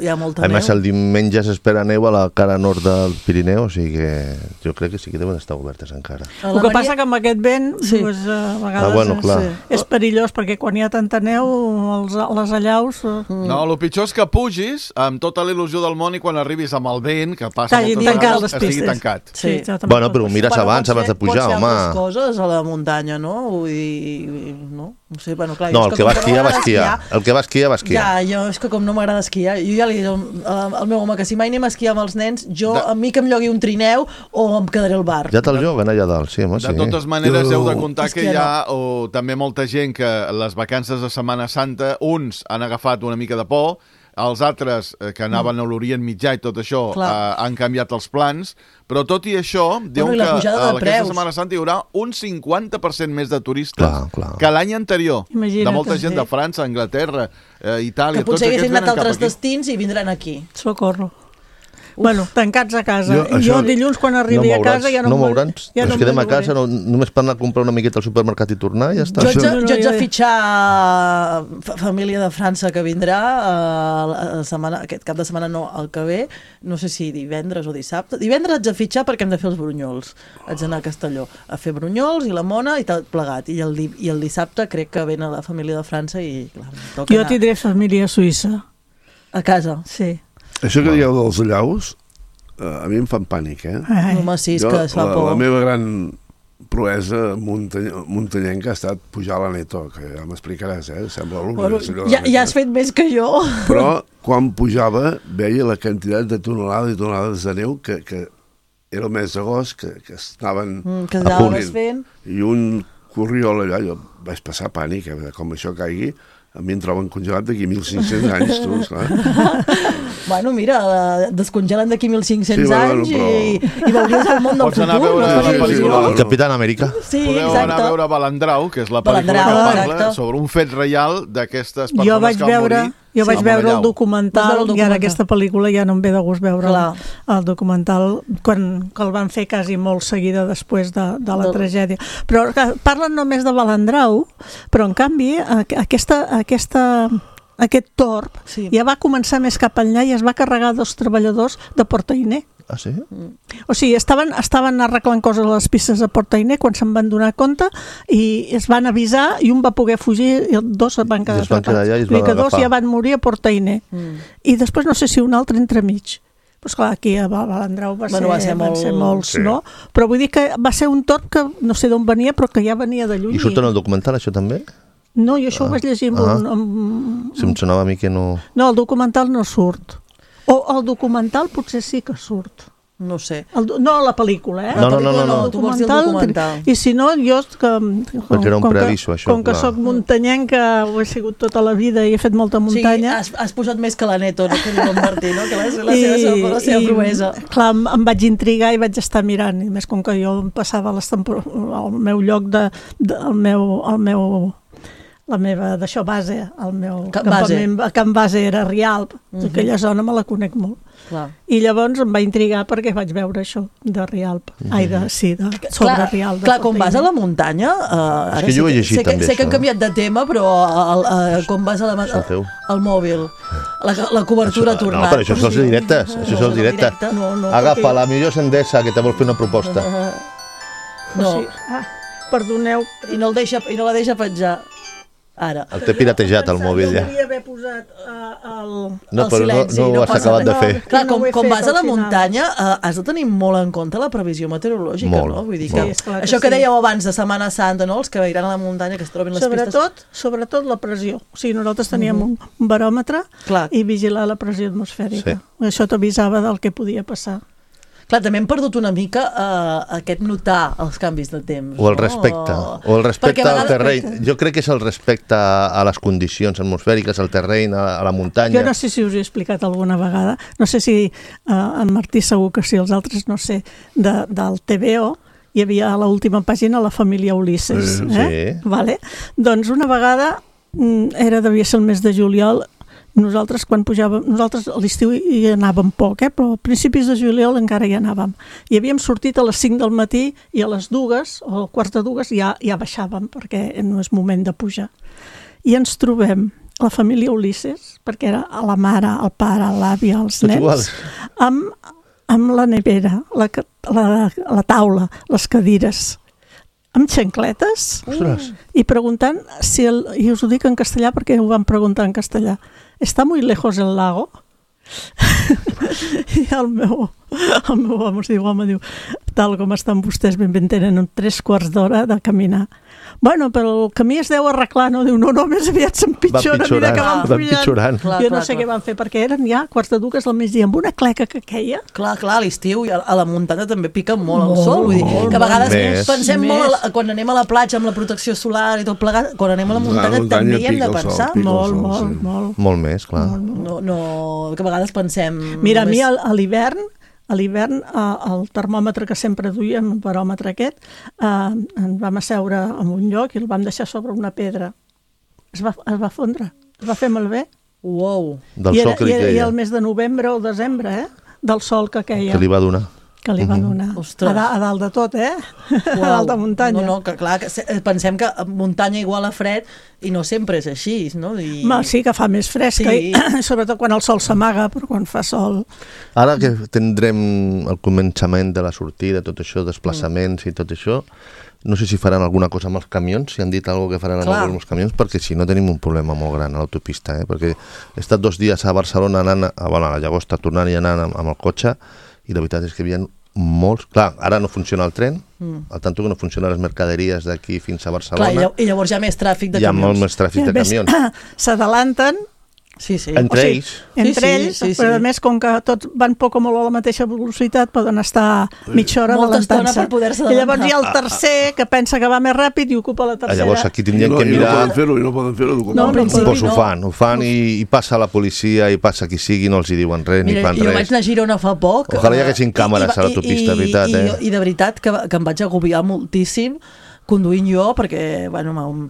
ha molta neu. A més, el diumenge s'espera neu a la cara nord del Pirineu, o sigui que jo crec que sí que deuen estar obertes encara. El que passa que amb aquest vent a vegades és perillós, perquè quan hi ha tanta neu les allaus... No, el pitjor és que pugis amb tota la il·lusió del món i quan arribis amb el vent, que passa moltes vegades, estigui tancat. Bueno, però ho mires abans de pujar, home. Pot ser altres coses a la muntanya, no? Vull dir, no sé, bueno, clar... No, el que va esquiar, va esquiar. El que va esquiar, va esquiar. Ja, jo és que com no m'agrada esquiar, jo ja li dic al meu home que si mai anem a esquiar amb els nens, a mi que em llogui un trineu o em quedaré al bar. Ja te'l lloguen allà dalt, sí, home, sí. De totes maneres, heu de comptar que hi ha també molta gent que les vacances de Setmana Santa, uns han agafat una mica de por, els altres que anaven a l'Orient Mitjà i tot això han canviat els plans, però tot i això, diuen que aquesta Setmana Santa hi haurà un 50% més de turistes que l'any anterior. De molta gent de França, Anglaterra, Itàlia... Que potser haguessin anat a altres destins i vindran aquí. Socorro. Bueno, tancats a casa. Jo dilluns, quan arribi a casa, ja no mouran. Ens quedem a casa, només per anar a comprar una miqueta al supermercat i tornar, ja està. Jo haig de fitxar família de França que vindrà aquest cap de setmana, no, el que ve, no sé si divendres o dissabte. Divendres haig de fitxar perquè hem de fer els brunyols. Haig d'anar a Castelló a fer brunyols i la mona i tot plegat. I el dissabte crec que ven a la família de França i clar, jo tindré família suïssa. A casa? Sí. Això que dieu dels allaus, a mi em fan pànic, Home, sí, és que es fa por. La meva gran proesa muntanyenca ha estat pujar a la Neto, que ja m'explicaràs, sembla l'únic. Ja has fet més que jo. Però quan pujava veia la quantitat de tonelades i tonelades de neu que era el mes d'agost, que estaven fent. I un corriol allà, jo vaig passar pànic, com això caigui, a mi em troben congelat d'aquí 1.500 anys, tu, esclar. Bueno, mira, descongelen d'aquí 1.500 anys i veuries el món del futur. Pots anar a veure la pel·lícula... El Capitán Amèrica. Sí, podeu anar a veure Balandrau, que és la pel·lícula que parla sobre un fet real d'aquestes persones que van morir. Jo vaig veure el documental i ara aquesta pel·lícula ja no em ve de gust veure el documental quan el van fer quasi molt seguida després de la tragèdia. Però parlen només de Balandrau, però en canvi aquest torb ja va començar més cap enllà i es va carregar 2 treballadors de Portainer. Ah, sí? O sigui, estaven arreglant coses a les pistes de Portainer quan se'n van donar compte i es van avisar i un va poder fugir i 2 es van quedar atrapats. Que 2 ja van morir a Portainer. I després no sé si un altre entremig. Però esclar, aquí a Balandrau van ser molts, no? Però vull dir que va ser un torb que no sé d'on venia, però que ja venia de lluny. I surt en el documental, això també? No, jo això ho vaig llegir Si em sonava a mi que no... No, el documental no surt. O el documental potser sí que surt. No sé. No la pel·lícula, No. Tu vols dir el documental. I si no, jo... Perquè era un preaviso, això. Com que soc muntanyenca, ho he sigut tota la vida i he fet molta muntanya... Sí, has posat més que la Neto, no? Que diu en Martí, no? Que la seva proesa. Clar, em vaig intrigar i vaig estar mirant. I més com que jo em passava al meu lloc la meva d'això base, el meu campament a Can Base era Rialp, aquella zona me la conec molt. I llavors em va intrigar perquè vaig veure això de Rialp, sobre Rialp. Clar, quan vas a la muntanya, és que jo ho he llegit també, sé que han canviat de tema, però quan vas al mòbil, la cobertura ha tornat. No, però això són els directes, agafa la millor Endesa que te vol fer una proposta. No. Perdoneu. I no la deixa penjar. Ara. El té piratejat, el mòbil, ja. Hauria haver posat No, però no ho has acabat de fer. Clar, com vas a la muntanya, has de tenir molt en compte la previsió meteorològica, no? Vull dir que això que dèieu abans de Setmana Santa, no? Els que iran a la muntanya, que es trobin les pistes... Sobretot la pressió. O sigui, nosaltres teníem un baròmetre i vigilar la pressió atmosfèrica. Això t'avisava del que podia passar. Clar, també hem perdut una mica aquest notar els canvis de temps. O el respecte al terreny. Jo crec que és el respecte a les condicions atmosfèriques, al terreny, a la muntanya. Jo no sé si us he explicat alguna vegada, no sé si en Martí segur que sí, els altres no sé, del TVO, hi havia a l'última pàgina la família Ulisses. Vale? Doncs una vegada, devia ser el mes de juliol, nosaltres quan pujàvem, nosaltres a l'estiu hi anàvem poc, però a principis de juliol encara hi anàvem. I havíem sortit a les 5 del matí i a les 2 o quarts de 2 ja baixàvem perquè no és moment de pujar. I ens trobem la família Ulisses, perquè era la mare, el pare, l'àvia, els nens, amb la nevera, la taula, les cadires, amb xancletes i preguntant i us ho dic en castellà perquè ho van preguntar en castellà, ¿está muy lejos el lago? I el meu home diu, tal com estan vostès, ben tenen 3 quarts d'hora de caminar. Bueno, però el camí es deu arreglar, no? Diu, no, més aviat s'empitjora, mira que van pujant. Jo no sé què van fer, perquè eren ja quarts de 2 al migdia, amb una cleca que queia. Clar, a l'estiu i a la muntanya també pica molt el sol, vull dir, que a vegades pensem molt, quan anem a la platja amb la protecció solar i tot plegat, quan anem a la muntanya també hi hem de pensar. Molt més, clar. No, que a vegades pensem... Mira, a mi a l'hivern, el termòmetre que sempre duien, el baròmetre aquest, ens vam asseure en un lloc i el vam deixar sobre una pedra. Es va fondre, es va fer malbé. Uau! Del sol que li queia. I el mes de novembre o desembre, del sol que queia. Que li va donar. Que li va donar. A dalt de tot, a dalt de muntanya. No, que clar, pensem que muntanya igual a fred i no sempre és així, no? Sí, que fa més fresca, sobretot quan el sol s'amaga, però quan fa sol... Ara que tindrem el començament de la sortida, tot això, desplaçaments i tot això, no sé si faran alguna cosa amb els camions, si han dit alguna que faran amb els camions, perquè si no tenim un problema molt gran a l'autopista, perquè he estat 2 dies a Barcelona anant, a la Llagosta, tornant i anant amb el cotxe, i la veritat és que hi havia molts... Clar, ara no funciona el tren, al tanto que no funcionen les mercaderies d'aquí fins a Barcelona. Clar, i llavors hi ha més tràfic de camions. Hi ha molt més tràfic de camions. S'adalanten. Sí. Entre ells, però a més, com que tots van poc o molt a la mateixa velocitat, poden estar mitja hora adelantant-se. I llavors hi ha el tercer que pensa que va més ràpid i ocupa la tercera. Llavors aquí tindrien que mirar... I no poden fer-ho. Doncs ho fan i passa la policia i passa qui sigui, no els hi diuen res, ni fan res. Jo vaig anar a Girona fa poc. Ojalà hi haguessin càmeres a l'autopista, veritat. I de veritat que em vaig agobiar moltíssim conduint jo, perquè,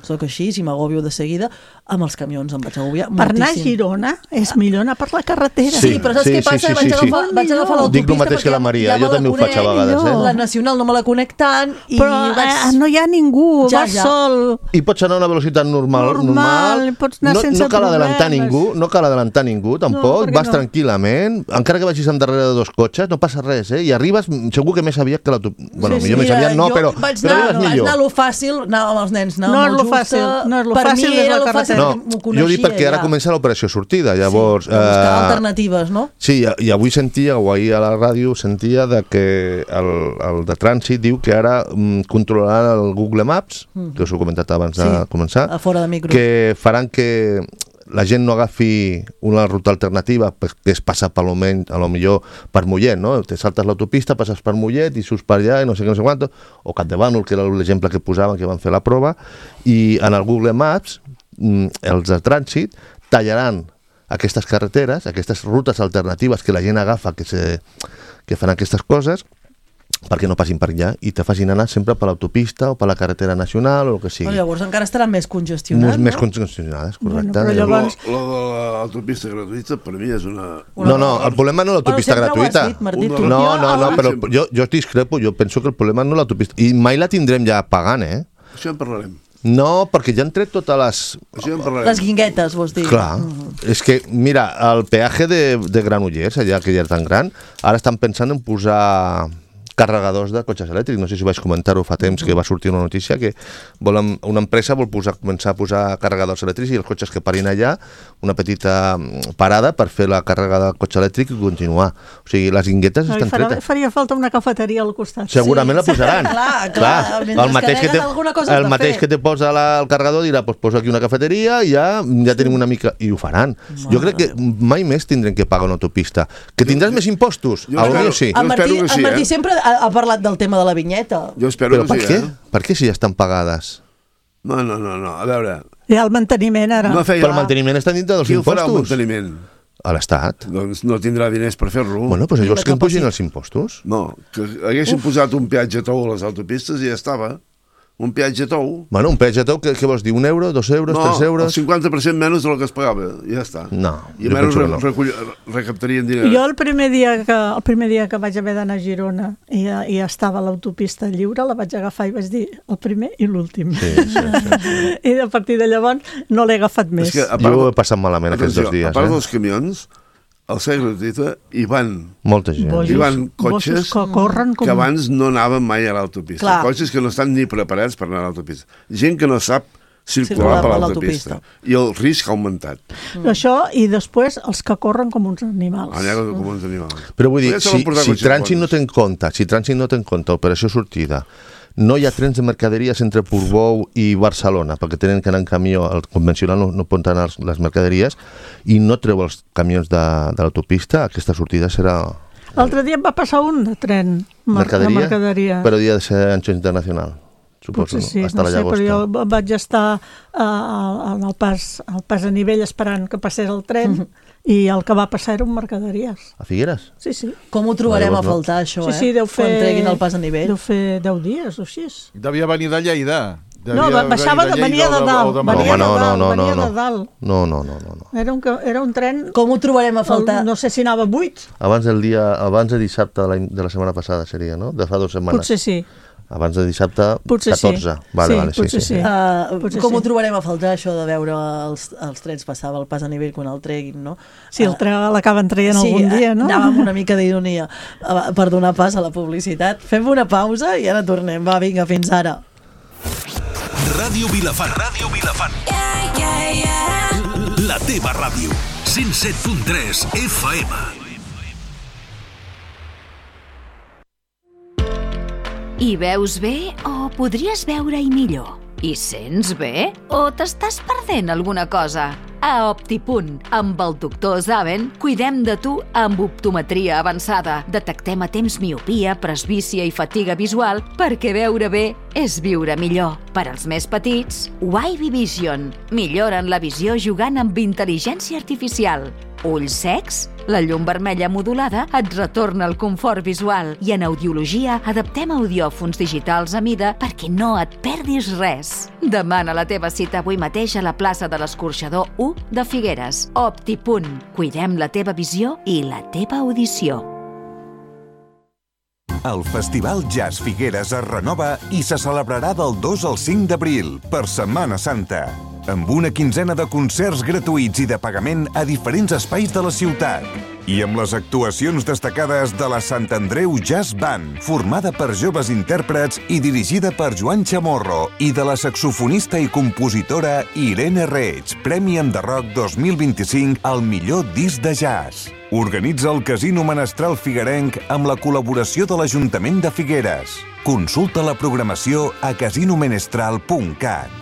soc així, si m'agobio de seguida, amb els camions em vaig agobiar moltíssim. Per anar a Girona és millor anar per la carretera. Sí, però saps què passa? Vaig agafar l'autopista. Dic el mateix que la Maria, jo també ho faig a vegades. La nacional no me la conec tant. Però no hi ha ningú, vas sol. I pots anar a una velocitat normal. Pots anar sense problemes. No cal adelantar ningú, tampoc. Vas tranquil·lament, encara que vagis darrere de 2 cotxes, no passa res, i arribes segur que més aviat que l'autopista. Bueno, millor més aviat no, però arribes millor. Fàcil, anàvem amb els nens, no és lo fàcil, per mi era la carretera. Jo dic perquè ara comença l'operació sortida, llavors... buscar alternatives, no? Sí, i avui sentia, o ahir a la ràdio sentia que el de trànsit diu que ara controlaran el Google Maps, que us ho he comentat abans de començar, a fora de micro, que faran que la gent no agafi una ruta alternativa, que és passar a lo millor per Mollet, no? Te saltes l'autopista, passes per Mollet i surts per allà i no sé quant, o Capdevànol, que era l'exemple que posaven, que van fer la prova, i en el Google Maps els de trànsit tallaran aquestes carreteres, aquestes rutes alternatives que la gent agafa, que fan aquestes coses, perquè no passin per allà i te facin anar sempre per l'autopista o per la carretera nacional o el que sigui. Però llavors encara estaran més congestionats, Més congestionades, correcte. Però llavors... Lo de l'autopista gratuïta per mi és una... No, el problema no és l'autopista gratuïta. No, però jo discrepo, jo penso que el problema no és l'autopista. I mai la tindrem ja pagant, Això en parlarem. No, perquè ja han tret totes les... Les guinguetes, vols dir? Clar, és que, mira, el peatge de Granollers, allà que ja és tan gran, ara estan pensant en posar carregadors de cotxes elèctrics. No sé si vaig comentar-ho fa temps, que va sortir una notícia que una empresa vol començar a posar carregadors elèctrics i els cotxes que parin allà, una petita parada per fer la càrrega del cotxe elèctric i continuar. O sigui, les guinguetes estan tretes. Faria falta una cafeteria al costat. Segurament la posaran. Clar, el mateix que te posa el carregador dirà, doncs posa aquí una cafeteria i ja tenim una mica... I ho faran. Jo crec que mai més tindrem que pagar una autopista. Que tindràs més impostos? Potser sí. El Martí sempre ha parlat del tema de la vinyeta. Jo espero que sí, Per què si ja estan pagades? No, a veure... Hi ha el manteniment, ara. Però el manteniment està dintre dels impostos. Qui farà el manteniment? A l'Estat. Doncs no tindrà diners per fer-lo. Bueno, doncs llavors que em pugin els impostos. No, que haguessin posat un peatge tou a les autopistes i ja estava. Un peatge tou. Bueno, un peatge tou, què vols dir? 1 euro, 2 euros, 3 euros? No, el 50% menys del que es pagava, ja està. No, i menys recaptarien diners. Jo el primer dia que vaig haver d'anar a Girona i estava l'autopista lliure, la vaig agafar i vaig dir el primer i l'últim. Sí. I a partir de llavors no l'he agafat més. Jo ho he passat malament aquests 2 dies. A part dels camions, al segle gratuïta hi van molta gent. Hi van cotxes que abans no anaven mai a l'autopista. Clar. Cotxes que no estan ni preparats per anar a l'autopista. Gent que no sap circular per l'autopista. I el risc ha augmentat. Això, i després els que corren com uns animals. Com uns animals. Però vull dir, si Trànsit no té en compte operació sortida, no hi ha trens de mercaderies entre Portbou i Barcelona, perquè tenen que anar en camió, el convencional no pot anar les mercaderies, i no treu els camions de l'autopista, aquesta sortida serà... L'altre dia em va passar un de tren de mercaderia. Però havia de ser ancho internacional, suposo. Potser sí, no sé, però jo vaig estar al pas a nivell esperant que passés el tren, i el que va passar eren mercaderies. A Figueres? Sí. Com ho trobarem a faltar, això, Sí, deu fer... Quan treguin el pas a nivell. Deu fer 10 dies o així. Devia venir de Lleida. No, venia de dalt. No. Era un tren... Com ho trobarem a faltar? No sé si anava 8. Abans de dissabte de la setmana passada seria, no? De fa 2 setmanes. Potser sí. Abans de dissabte, potser 14. Sí. Vale, sí. Com ho trobarem a faltar, això de veure els trens passar el pas a nivell quan el treguin, no? Sí, l'acaben traient algun dia, no? Anàvem amb una mica d'ironia per donar pas a la publicitat. Fem una pausa i ara tornem. Va, vinga, fins ara. Ràdio Vilafant. La teva ràdio. 107.3 FM. Hi veus bé o podries veure-hi millor? Hi sents bé o t'estàs perdent alguna cosa? A Optipunt, amb el doctor Zaven, cuidem de tu amb optometria avançada. Detectem a temps miopia, presbícia i fatiga visual perquè veure bé és viure millor. Per als més petits, Wavy Vision. Milloren la visió jugant amb intel·ligència artificial. Ulls secs? La llum vermella modulada et retorna el confort visual i en audiologia adaptem audiòfons digitals a mida perquè no et perdis res. Demana la teva cita avui mateix a la plaça de l'Escorxador 1 de Figueres. Optipunt. Cuidem la teva visió i la teva audició. El Festival Jazz Figueres es renova i se celebrarà del 2 al 5 d'abril, per Setmana Santa, amb una quinzena de concerts gratuïts i de pagament a diferents espais de la ciutat. I amb les actuacions destacades de la Sant Andreu Jazz Band, formada per joves intèrprets i dirigida per Joan Chamorro, i de la saxofonista i compositora Irene Reig, Premi en The Rock 2025 al millor disc de jazz. Organitza el Casino Menestral Figuerenc amb la col·laboració de l'Ajuntament de Figueres. Consulta la programació a casinomenestral.cat.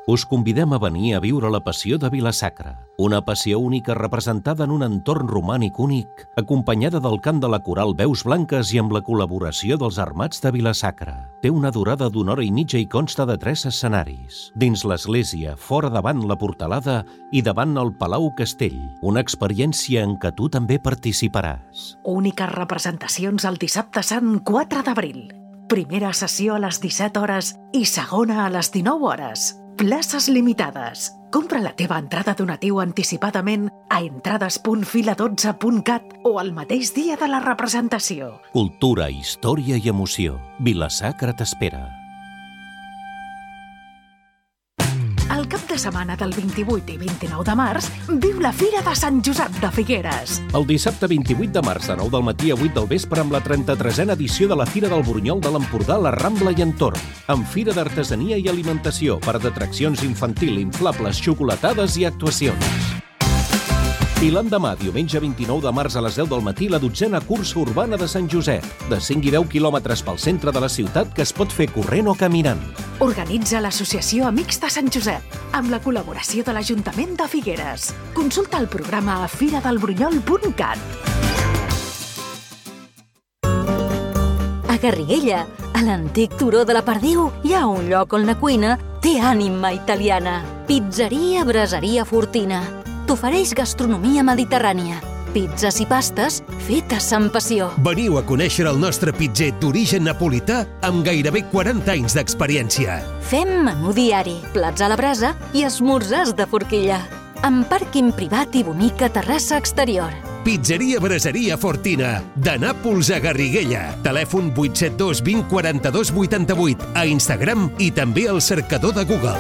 Us convidem a venir a viure la passió de Vila-sacra, una passió única representada en un entorn romànic únic, acompanyada del cant de la coral Veus Blanques i amb la col·laboració dels Armats de Vila-sacra. Té una durada d'1 hora i mitja i consta de 3 escenaris. Dins l'església, fora davant la portalada i davant el Palau Castell. Una experiència en què tu també participaràs. Úniques representacions el dissabte sant 4 d'abril. Primera sessió a les 17 hores i segona a les 19 hores. Places limitades. Compra la teva entrada donatiu anticipadament a entrades.fila12.cat o el mateix dia de la representació. Cultura, història i emoció. Vila-sacra t'espera. El cap de setmana del 28 i 29 de març viu la Fira de Sant Josep de Figueres. El dissabte 28 de març de 9 del matí a 8 del vespre amb la 33a edició de la Fira del Burunyol de l'Empordà, la Rambla i entorn. Amb fira d'artesania i alimentació, parc d'atraccions infantil, inflables, xocolatades i actuacions. I l'endemà, diumenge 29 de març a les 10 del matí, la 12a cursa urbana de Sant Josep, de 5 i 10 quilòmetres pel centre de la ciutat que es pot fer corrent o caminant. Organitza l'Associació Amics de Sant Josep, amb la col·laboració de l'Ajuntament de Figueres. Consulta el programa a firadelburunyol.cat. A Garriguella, a l'antic turó de la Perdiu, hi ha un lloc on la cuina té ànima italiana. Pizzeria Braseria Fortina. T'ofereix gastronomia mediterrània, pizzas i pastes fetes amb passió. Veniu a conèixer el nostre pitzer d'origen napolità amb gairebé 40 anys d'experiència. Fem menú diari, plats a la brasa i esmorzars de forquilla. Amb pàrquing privat i bonica terrassa exterior. Pizzeria Braseria Fortina, de Nàpols a Garriguella. Telèfon 872 20 42 88, a Instagram i també al cercador de Google.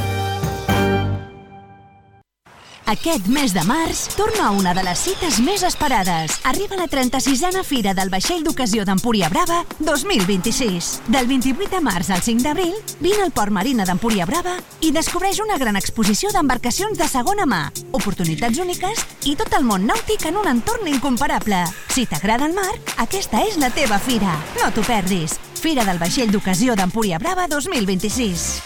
Aquest mes de març torna a una de les cites més esperades. Arriba la 36a Fira del Vaixell d'Ocasió d'Empúria Brava 2026. Del 28 de març al 5 d'abril, vine al Port Marina d'Empúria Brava i descobreix una gran exposició d'embarcacions de segona mà, oportunitats úniques i tot el món nàutic en un entorn incomparable. Si t'agrada el mar, aquesta és la teva fira. No t'ho perdis. Fira del Vaixell d'Ocasió d'Empúria Brava 2026.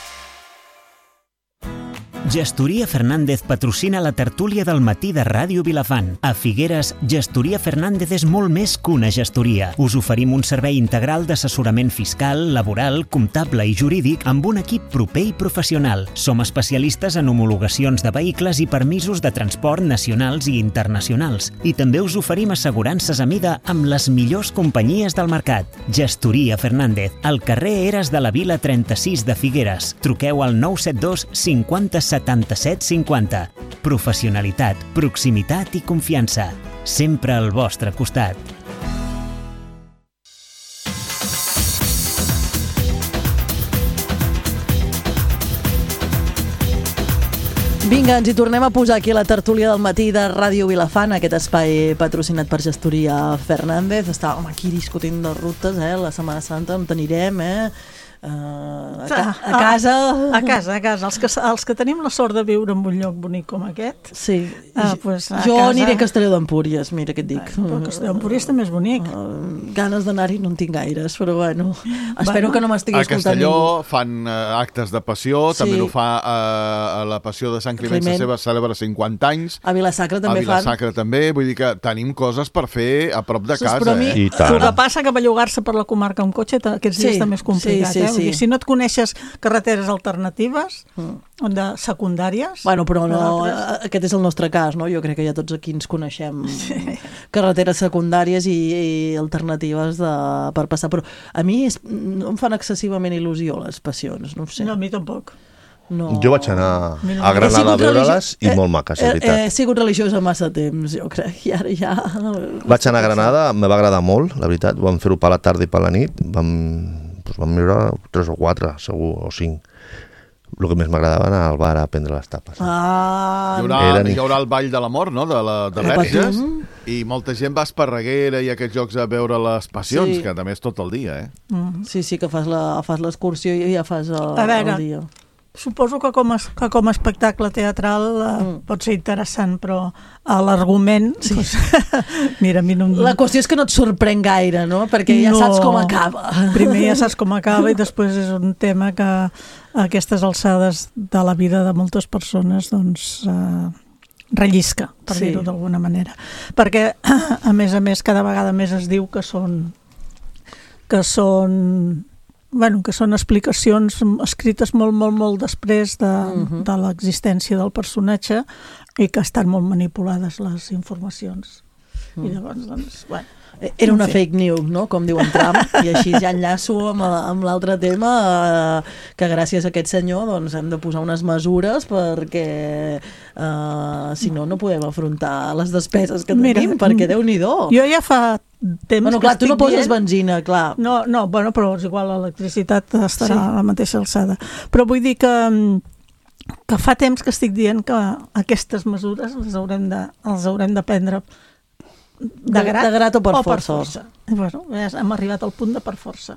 Gestoria Fernández patrocina la tertúlia del matí de Ràdio Vilafant. A Figueres, Gestoria Fernández és molt més que una gestoria. Us oferim un servei integral d'assessorament fiscal, laboral, comptable i jurídic amb un equip proper i professional. Som especialistes en homologacions de vehicles i permisos de transport nacionals i internacionals. I també us oferim assegurances a mida amb les millors companyies del mercat. Gestoria Fernández, al carrer Eres de la Vila 36 de Figueres. Truqueu al 972 50 77 50. Professionalitat, proximitat i confiança. Sempre al vostre costat. Vinga, ens hi tornem a posar aquí a la tertúlia del matí de Ràdio Vilafant, aquest espai patrocinat per Gestoria Fernández. Estàvem aquí discutint de rutes, la Setmana Santa, on anirem, a casa. A casa. Els que tenim la sort de viure en un lloc bonic com aquest. Sí. Pues jo aniré a Castelló d'Empúries, mira què et dic. Però Castelló d'Empúries també és bonic. Ganes d'anar-hi no en tinc gaires, però bueno. Espero que no m'estigui escoltant ningú. A Castelló fan actes de passió, també ho fa a la Passió de Sant Climent, la seva celebra 50 anys. A Vila-sacra també fan. A Vila-sacra també, vull dir que tenim coses per fer a prop de casa. Però a mi, el que passa que bellugar-se per la comarca amb cotxe aquests dies també és complicat. Sí. Si no et coneixes carreteres alternatives, secundàries... Bueno, però no, aquest és el nostre cas, no? Jo crec que ja tots aquí ens coneixem carreteres secundàries i alternatives per passar. Però a mi no em fan excessivament il·lusió les passions, no ho sé. No, a mi tampoc. No. Jo vaig anar a Granada a veure-les i molt maques, és veritat. He sigut religiosa massa temps, jo crec, i ara ja... Vaig anar a Granada, me va agradar molt, la veritat. Vam fer-ho per la tarda i per la nit, vam viure 3 o 4, segur, o 5. El que més m'agradava anar al bar a prendre les tapes. Hi haurà el Ball de la Mort, no?, de Verges, i molta gent va a Esparreguera i a aquests jocs a veure les passions, que també és tot el dia, Sí, que fas l'excursió i ja fas el dia. Suposo que com a espectacle teatral pot ser interessant, però l'argument... Mira, a mi no... La qüestió és que no et sorprèn gaire, no? Perquè ja saps com acaba. Primer ja saps com acaba i després és un tema que a aquestes alçades de la vida de moltes persones doncs rellisca, per dir-ho d'alguna manera. Perquè, a més, cada vegada més es diu que són explicacions escrites molt després de l'existència del personatge i que estan molt manipulades les informacions. I llavors, doncs, bueno... Era una fake news, no?, com diu en Trump, i així ja enllaço amb l'altre tema, que gràcies a aquest senyor doncs, hem de posar unes mesures perquè si no podem afrontar les despeses que tenim, perquè Déu-n'hi-do. Jo ja fa temps que estic tu no poses benzina, clar. No, bueno, però és igual, l'electricitat estarà a la mateixa alçada. Però vull dir que fa temps que estic dient que aquestes mesures les haurem de prendre de grat o per força. Bueno, hem arribat al punt de per força,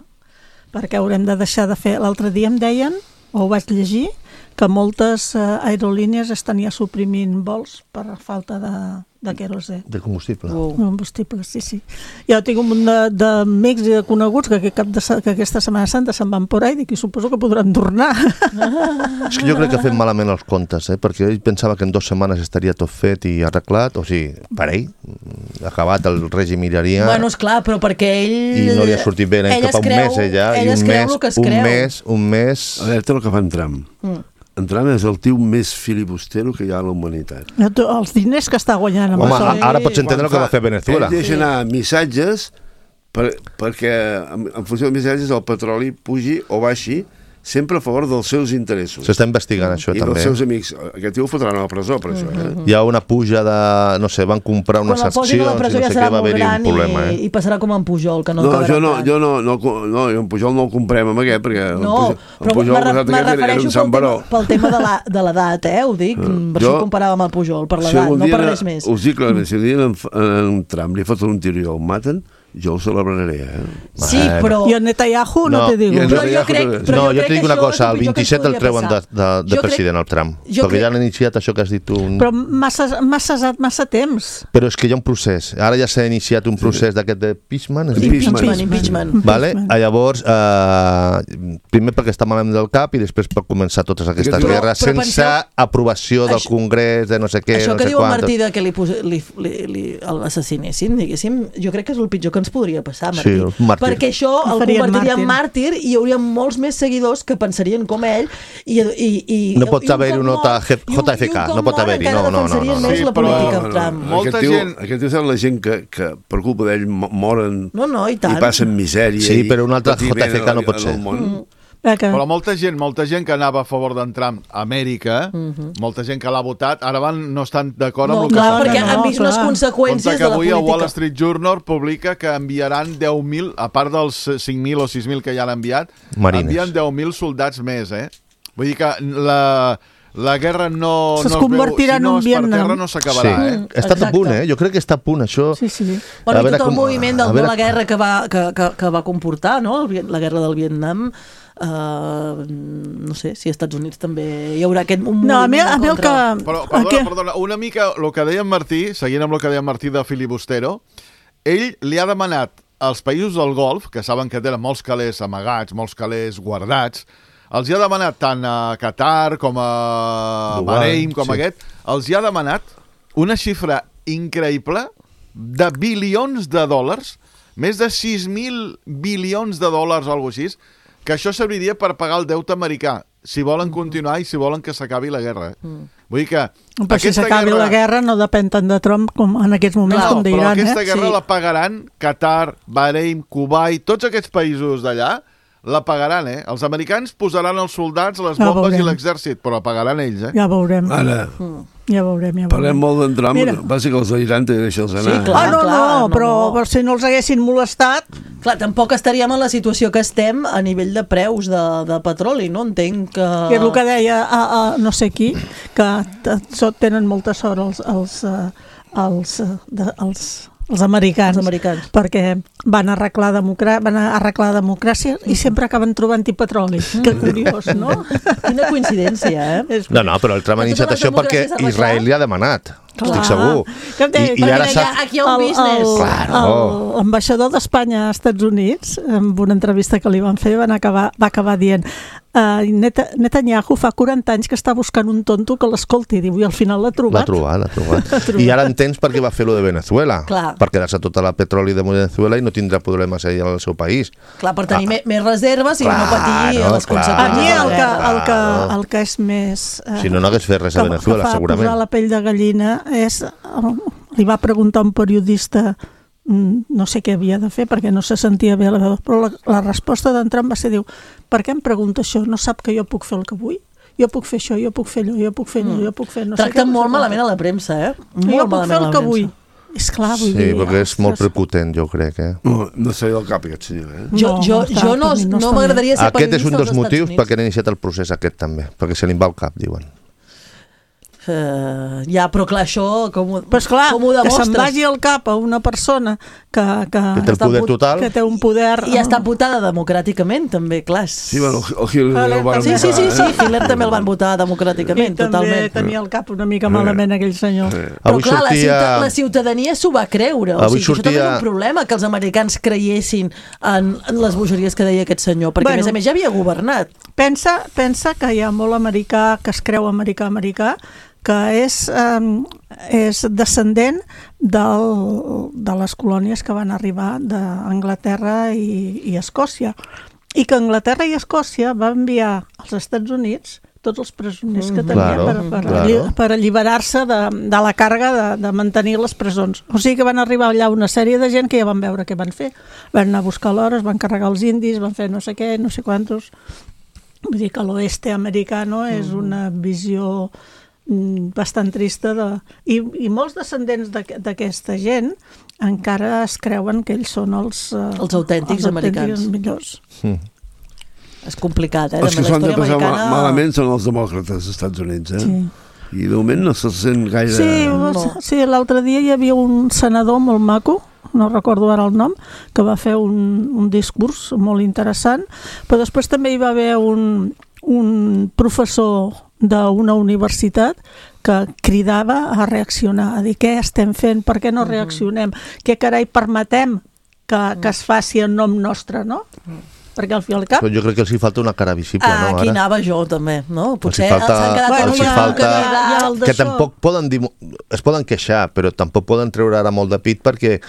perquè haurem de deixar de fer... L'altre dia em deien, o ho vaig llegir, que moltes aerolínies estan ja suprimint vols per falta de querosè. De combustible. Combustible, sí. Jo tinc un munt d'amics i de coneguts que aquesta Setmana Santa se'n van por ahí i suposo que podran tornar. És que jo crec que ha fet malament els comptes, perquè ell pensava que en 2 setmanes estaria tot fet i arreglat, o sigui, per ell, acabat el règim miraria... Bueno, esclar, però perquè ell... I no li ha sortit bé, cap a un mes, ella, i un mes... Alerta el que fa en Trump. En Trump és el tio més filibustero que hi ha a la humanitat. Els diners que està guanyant amb això. Ara pots entendre el que va fer Venezuela. Ell deixa anar missatges perquè en funció dels missatges el petroli pugi o baixi sempre a favor dels seus interessos. S'està investigant això també. I dels seus amics. Aquest tio ho fotran a la presó per això. Hi ha una puja de... no sé, van comprar unes accions i no sé què, va haver-hi un problema. I passarà com en Pujol, que no jo en Pujol no el comprem amb aquest, perquè en Pujol me refereixo pel tema de l'edat, ho dic, per això ho comparava amb el Pujol, per l'edat, no per res més. Us dic clarament, si un dia en Trump li foten un tiro i el maten, jo ho celebraré, Sí, però... I el Netanyahu no te digo. Jo t'he dic una cosa, el 27 el treuen de president, el Trump, perquè ja han iniciat això que has dit tu. Però massa temps. Però és que hi ha un procés. Ara ja s'ha iniciat un procés d'aquest de impeachment. Vale? Llavors, primer perquè està malament del cap i després per començar totes aquestes guerres sense aprovació del Congrés, de no sé què, això que diu el Martí que l'assasinessin, diguéssim, jo crec que és el pitjor que ens podria passar, Martí. Perquè això el convertiria en màrtir i hi hauria molts més seguidors que pensarien com ell i no pot haver-hi un JFK, no pot haver-hi, no. Més la política Trump. Aquest és la gent que per culpa d'ell moren i passen misèria. Sí, però un altre JFK no pot ser. Però molta gent que anava a favor d'en Trump a Amèrica, molta gent que l'ha votat, ara no estan d'acord amb el que s'ha fet. Perquè han vist les conseqüències de la política. Avui el Wall Street Journal publica que enviaran 10.000, a part dels 5.000 o 6.000 que ja l'han enviat, envien 10.000 soldats més, Vull dir que la guerra no es convertirà en un Vietnam. Per terra no s'acabarà, Està a punt, jo crec que està a punt, això. Sí. Bueno, i tot el moviment de la guerra que va comportar, no?, la guerra del Vietnam, no sé, si als Estats Units també hi haurà aquest moviment en contra. Però, perdona, una mica el que deia en Martí, seguint amb el que deia en Martí de filibustero, ell li ha demanat als països del Golf, que saben que tenen molts calés amagats, molts calés guardats, els hi ha demanat tant a Qatar com a Bahrein, com aquest, els hi ha demanat una xifra increïble de bilions de dòlars, més de 6.000 bilions de dòlars o alguna cosa així, que això serviria per pagar el deute americà, si volen continuar i si volen que s'acabi la guerra. Vull dir que... Però si s'acabi la guerra no depèn tant de Trump com en aquests moments, com diran. Però aquesta guerra la pagaran Qatar, Bahrein, Kuwait, tots aquests països d'allà, la pagaran, Els americans posaran els soldats, les bombes i l'exèrcit, però la pagaran ells, Ja veurem. Ara, ja veurem. Parlem molt d'en Trump, passa que els d'Iran te deixa'ls anar. Sí, clar, però si no els haguessin molestat... Clar, tampoc estaríem en la situació que estem a nivell de preus de petroli, no? Entenc que... Que és el que deia no sé qui, que tenen molta sort els els americans, perquè van arreglar democràcia i sempre acaben trobant-hi petroli. Que curiós, no? Quina coincidència, eh? No, però el Trump ha iniciat això perquè Israel li ha demanat. Estic segur. I ara aquí hi ha un business. L'ambaixador d'Espanya als Estats Units, en una entrevista que li van fer, va acabar dient Netanyahu fa 40 anys que està buscant un tonto que l'escolti, diu, i al final l'ha trobat. L'ha trobat. I ara entens per què va fer lo de Venezuela. Per quedar-se tota la petroli de Venezuela i no tindrà problemes allà al seu país. Clar, per tenir més reserves i no patir les conseqüències. A mi el que és més... Si no hagués fet res a Venezuela, segurament. Que fa posar la pell de gallina és... Li va preguntar un periodista, no sé què havia de fer perquè no se sentia bé la veu, però la resposta d'en Trump va ser, diu, per què em pregunta això? No sap que jo puc fer el que vull? Jo puc fer això, jo puc fer allò, jo puc fer allò, jo puc fer... Tracten molt malament a la premsa, eh? Jo puc fer el que vull. Esclar, vull dir... Sí, perquè és molt prepotent, jo crec, eh? No sé del cap, aquest senyor, eh? Jo no m'agradaria ser periodista. Aquest és un dels motius perquè han iniciat el procés aquest també, perquè se li va al cap, diuen. Ja, però clar, això com ho demostres? Que se'n vagi al cap a una persona que té el poder total, que té un poder... I està votada democràticament, també, clar. Sí, bueno, el Hitler el van votar. Sí, Hitler també el van votar democràticament, totalment. I també tenia el cap una mica malament aquell senyor. Però clar, la ciutadania s'ho va creure. O sigui, això també és un problema, que els americans creiessin en les bogeries que deia aquest senyor, perquè a més ja havia governat. Pensa que hi ha molt americà que es creu americà, que és descendent de les colònies que van arribar d'Anglaterra i Escòcia, i que Anglaterra i Escòcia va enviar als Estats Units tots els presoners que tenia per alliberar-se de la càrrega de mantenir les presons. O sigui que van arribar allà una sèrie de gent que ja van veure què van fer. Van anar a buscar l'or, van carregar els indis, van fer no sé què, no sé quantos. Vull dir que l'oeste americano és una visió bastant trista i molts descendents d'aquesta gent encara es creuen que ells són els autèntics americans millors. És complicat, Els que s'han de passar malament són els demòcrates dels Estats Units, eh? I de moment no se sent gaire... Sí, l'altre dia hi havia un senador molt maco, no recordo ara el nom, que va fer un discurs molt interessant, però després també hi va haver un professor d'una universitat que cridava a reaccionar, a dir què estem fent, per què no reaccionem, què carai permetem que es faci en nom nostre, no? Perquè al fi al cap... Però jo crec que els hi falta una cara visible, no? Aquí anava jo també, no? Potser els hi falta que tampoc poden dir... Es poden queixar, però tampoc poden treure ara molt de pit perquè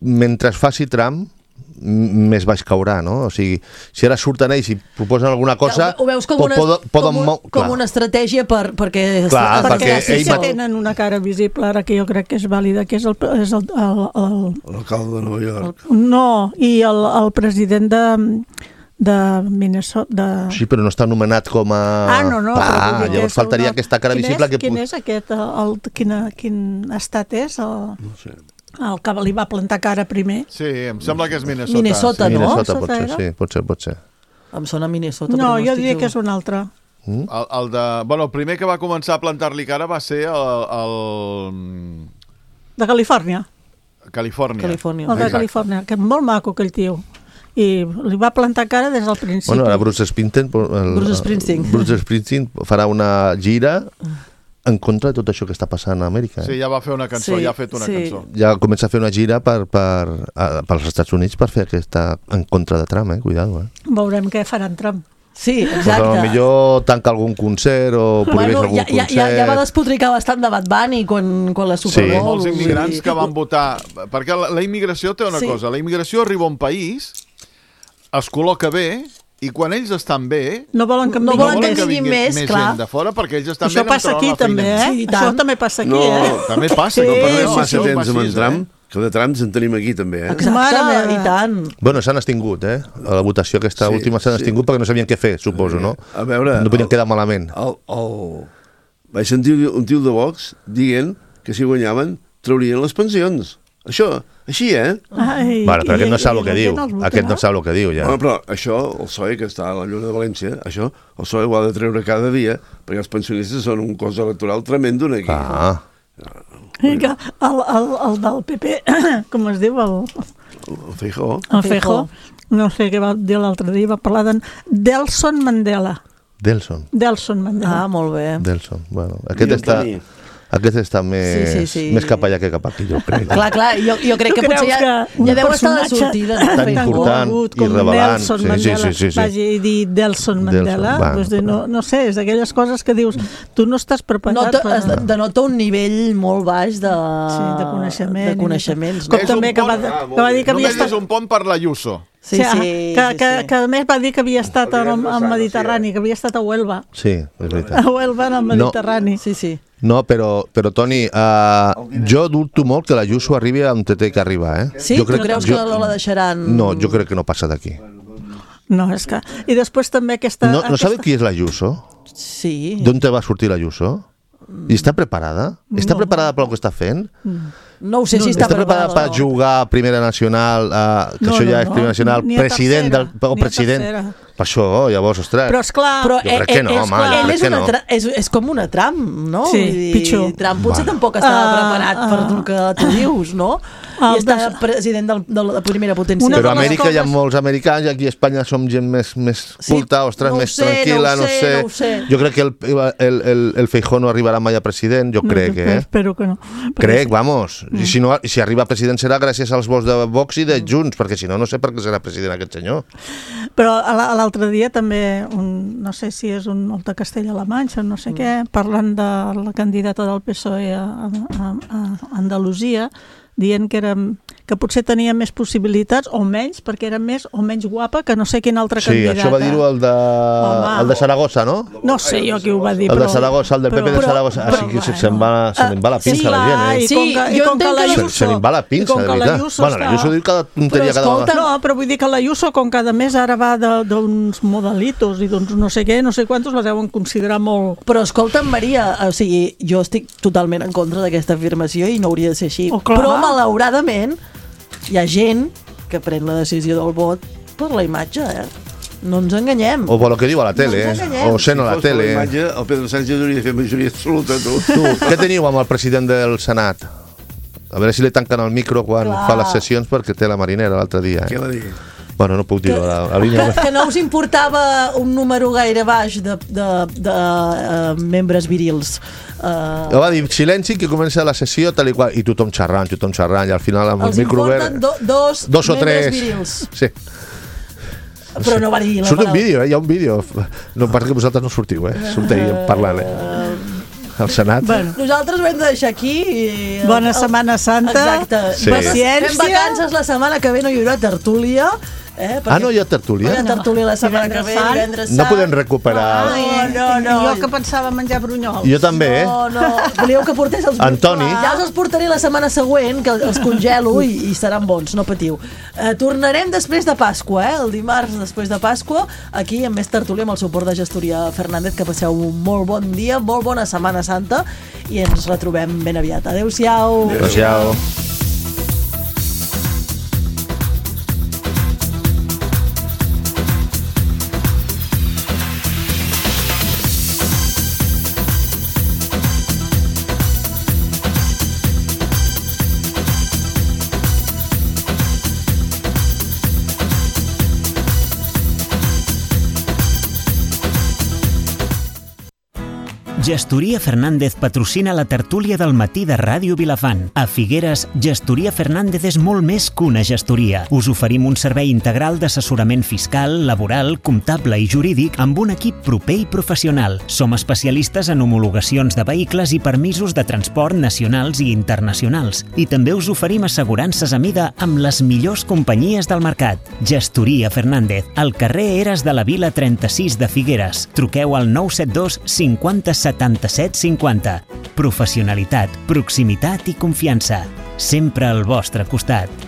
mentre es faci Trump més baix caurà, no? O sigui, si ara surten ells i proposen alguna cosa... Ho veus com una estratègia perquè sí que tenen una cara visible, ara que jo crec que és vàlida, que és l'alcalde de Nova York. No, i el president de Minnesota... Sí, però no està anomenat com a... Llavors faltaria aquesta cara visible que... Quin és aquest? Quin estat és? No sé. El que li va plantar cara primer. Sí, em sembla que és Minnesota. Minnesota, no? Minnesota, pot ser. Em sona Minnesota. No, jo diria que és un altre. El primer que va començar a plantar-li cara va ser el... De Califòrnia. Califòrnia. El de Califòrnia, que és molt maco aquell tio. I li va plantar cara des del principi. Bueno, ara Bruce Springsteen farà una gira en contra de tot això que està passant a Amèrica. Sí, ja va fer una cançó, ja ha fet una cançó. Ja comença a fer una gira pels Estats Units per fer aquesta en contra de Trump, cuidado. Veurem què farà en Trump. Sí, exacte. Però millor tanca algun concert o prohibeix algun concert. Ja va despotricar bastant de Bad Bunny quan la Super Bowl... Molts immigrants que van votar... Perquè la immigració té una cosa. La immigració arriba a un país, es col·loca bé, i quan ells estan bé... No volen que vingui més gent de fora, perquè ells estan bé... Això passa aquí també, Això també passa aquí, També passa. No perdem massa temps amb en Trump, que de Trumps en tenim aquí també, Exacte, i tant. Bueno, s'han extingut, a la votació aquesta última s'han extingut perquè no sabien què fer, suposo, no? A veure... No podien quedar malament. Vaig sentir un tio de Vox dient que si guanyaven traurien les pensions. Això, així, Bueno, però aquest no sap el que diu. Aquest no sap el que diu, ja. Bueno, però això, el PSOE, que està a la Lluna de València, això, el PSOE ho ha de treure cada dia, perquè els pensionistes són un cos electoral tremendo aquí. El del PP, com es diu? El Feijóo. El Feijóo. No sé què va dir l'altre dia, va parlar de Nelson Mandela. Nelson Mandela. Ah, molt bé. Nelson, bueno. Aquest està més cap allà que cap aquí, jo crec. Clar, jo crec que potser ja deu estar de sortida. Tan important i relevant. Sí. Vagi a dir Nelson Mandela. No sé, és d'aquelles coses que dius, tu no estàs preparat. Denota un nivell molt baix de coneixements. Com també que va dir que havia estat... Només és un pont per l'Ayuso. Sí. Que a més va dir que havia estat al Mediterrani, que havia estat a Huelva. Sí, és veritat. A Huelva, en el Mediterrani. Sí. No, però Toni, jo dubto molt que l'Ayuso arribi on té que arribar, Sí? Tu creus que no la deixaran? No, jo crec que no passa d'aquí. No, és que... I després també aquesta... No sabeu qui és l'Ayuso? Sí. D'on te va sortir l'Ayuso? I està preparada? Està preparada per el que està fent? No ho sé si està preparada per jugar a Primera Nacional, que això ja és Primera Nacional, president... Per això, llavors, ostres... Però, esclar... Jo crec que no, home, jo crec que no. És com una Trump, no? Sí, pitjor. Trump potser tampoc estava preparat per el que tu dius, no? I està president de la primera potència. Però a Amèrica hi ha molts americans i aquí a Espanya som gent més culta, ostres, més tranquil·la, no sé. Jo crec que el Feijóo no arribarà mai a president, jo crec, Espero que no. Crec, vamos. I si arriba a president serà gràcies als vots de Vox i de Junts, perquè si no, no sé per què serà president aquest senyor. Però l'altre dia també, no sé si és un de Castella-La Manxa, no sé què, parlant de la candidata del PSOE a Andalusia, dient que potser tenia més possibilitats o menys, perquè era més o menys guapa que no sé quin altre candidat. Sí, això va dir-ho el de Saragossa, no? No sé jo qui ho va dir. El de Saragossa, el del PP de Saragossa. Així que se'n va la pinça la gent, Se n'en va la pinça, de veritat. Bueno, l'Ayuso diu cada tonteria cada vegada. No, però vull dir que l'Ayuso, com cada mes ara va d'uns modelitos i d'uns no sé què, no sé quantos, la deuen considerar molt... Però escolta'm, Maria, o sigui, jo estic totalment en contra d'aquesta afirmació i no hauria de ser així. Però malauradament hi ha gent que pren la decisió del vot per la imatge, No ens enganyem. O per el que diu a la tele, o sent a la tele. Per la imatge, el Pedro Sánchez hauria de fer majoria absoluta, tu. Què teniu amb el president del Senat? A veure si li tanquen el micro quan fa les sessions, perquè té la marinera l'altre dia. Què va dir? Bueno, no puc dir-ho. Que no us importava un número gaire baix de membres virils. Va dir, silenci, que comença la sessió tal i qual, i tothom xerrant, i al final amb el micro obert... Els importen dos membres virils. Sí. Però no va dir la paraula. Surt un vídeo, hi ha un vídeo. No passa que vosaltres no sortiu, sorteu parlant, al Senat. Bueno, nosaltres ho hem de deixar aquí. Bona Setmana Santa. Exacte. Sí. Paciència. Fem vacances la setmana que ve, no hi haurà tertúlia. No hi ha tertúlia? No hi ha tertúlia la setmana que ve, divendres sant. No podem recuperar... No. Jo que pensava menjar brunyols. Jo també, No. Volíeu que portés els... Antoni. Ja us els portaré la setmana següent, que els congelo i seran bons, no patiu. Tornarem després de Pasqua, el dimarts després de Pasqua, aquí amb més tertúlia, amb el suport de Gestoria Fernández, que passeu un molt bon dia, molt bona Setmana Santa, i ens retrobem ben aviat. Adéu-siau. Adéu-siau. Gestoria Fernández patrocina la tertúlia del matí de Ràdio Vilafant. A Figueres, Gestoria Fernández és molt més que una gestoria. Us oferim un servei integral d'assessorament fiscal, laboral, comptable i jurídic amb un equip proper i professional. Som especialistes en homologacions de vehicles i permisos de transport nacionals i internacionals. I també us oferim assegurances a mida amb les millors companyies del mercat. Gestoria Fernández, al carrer Eres de la Vila 36 de Figueres. Truqueu al 972 50 77 50. Professionalitat, proximitat i confiança. Sempre al vostre costat.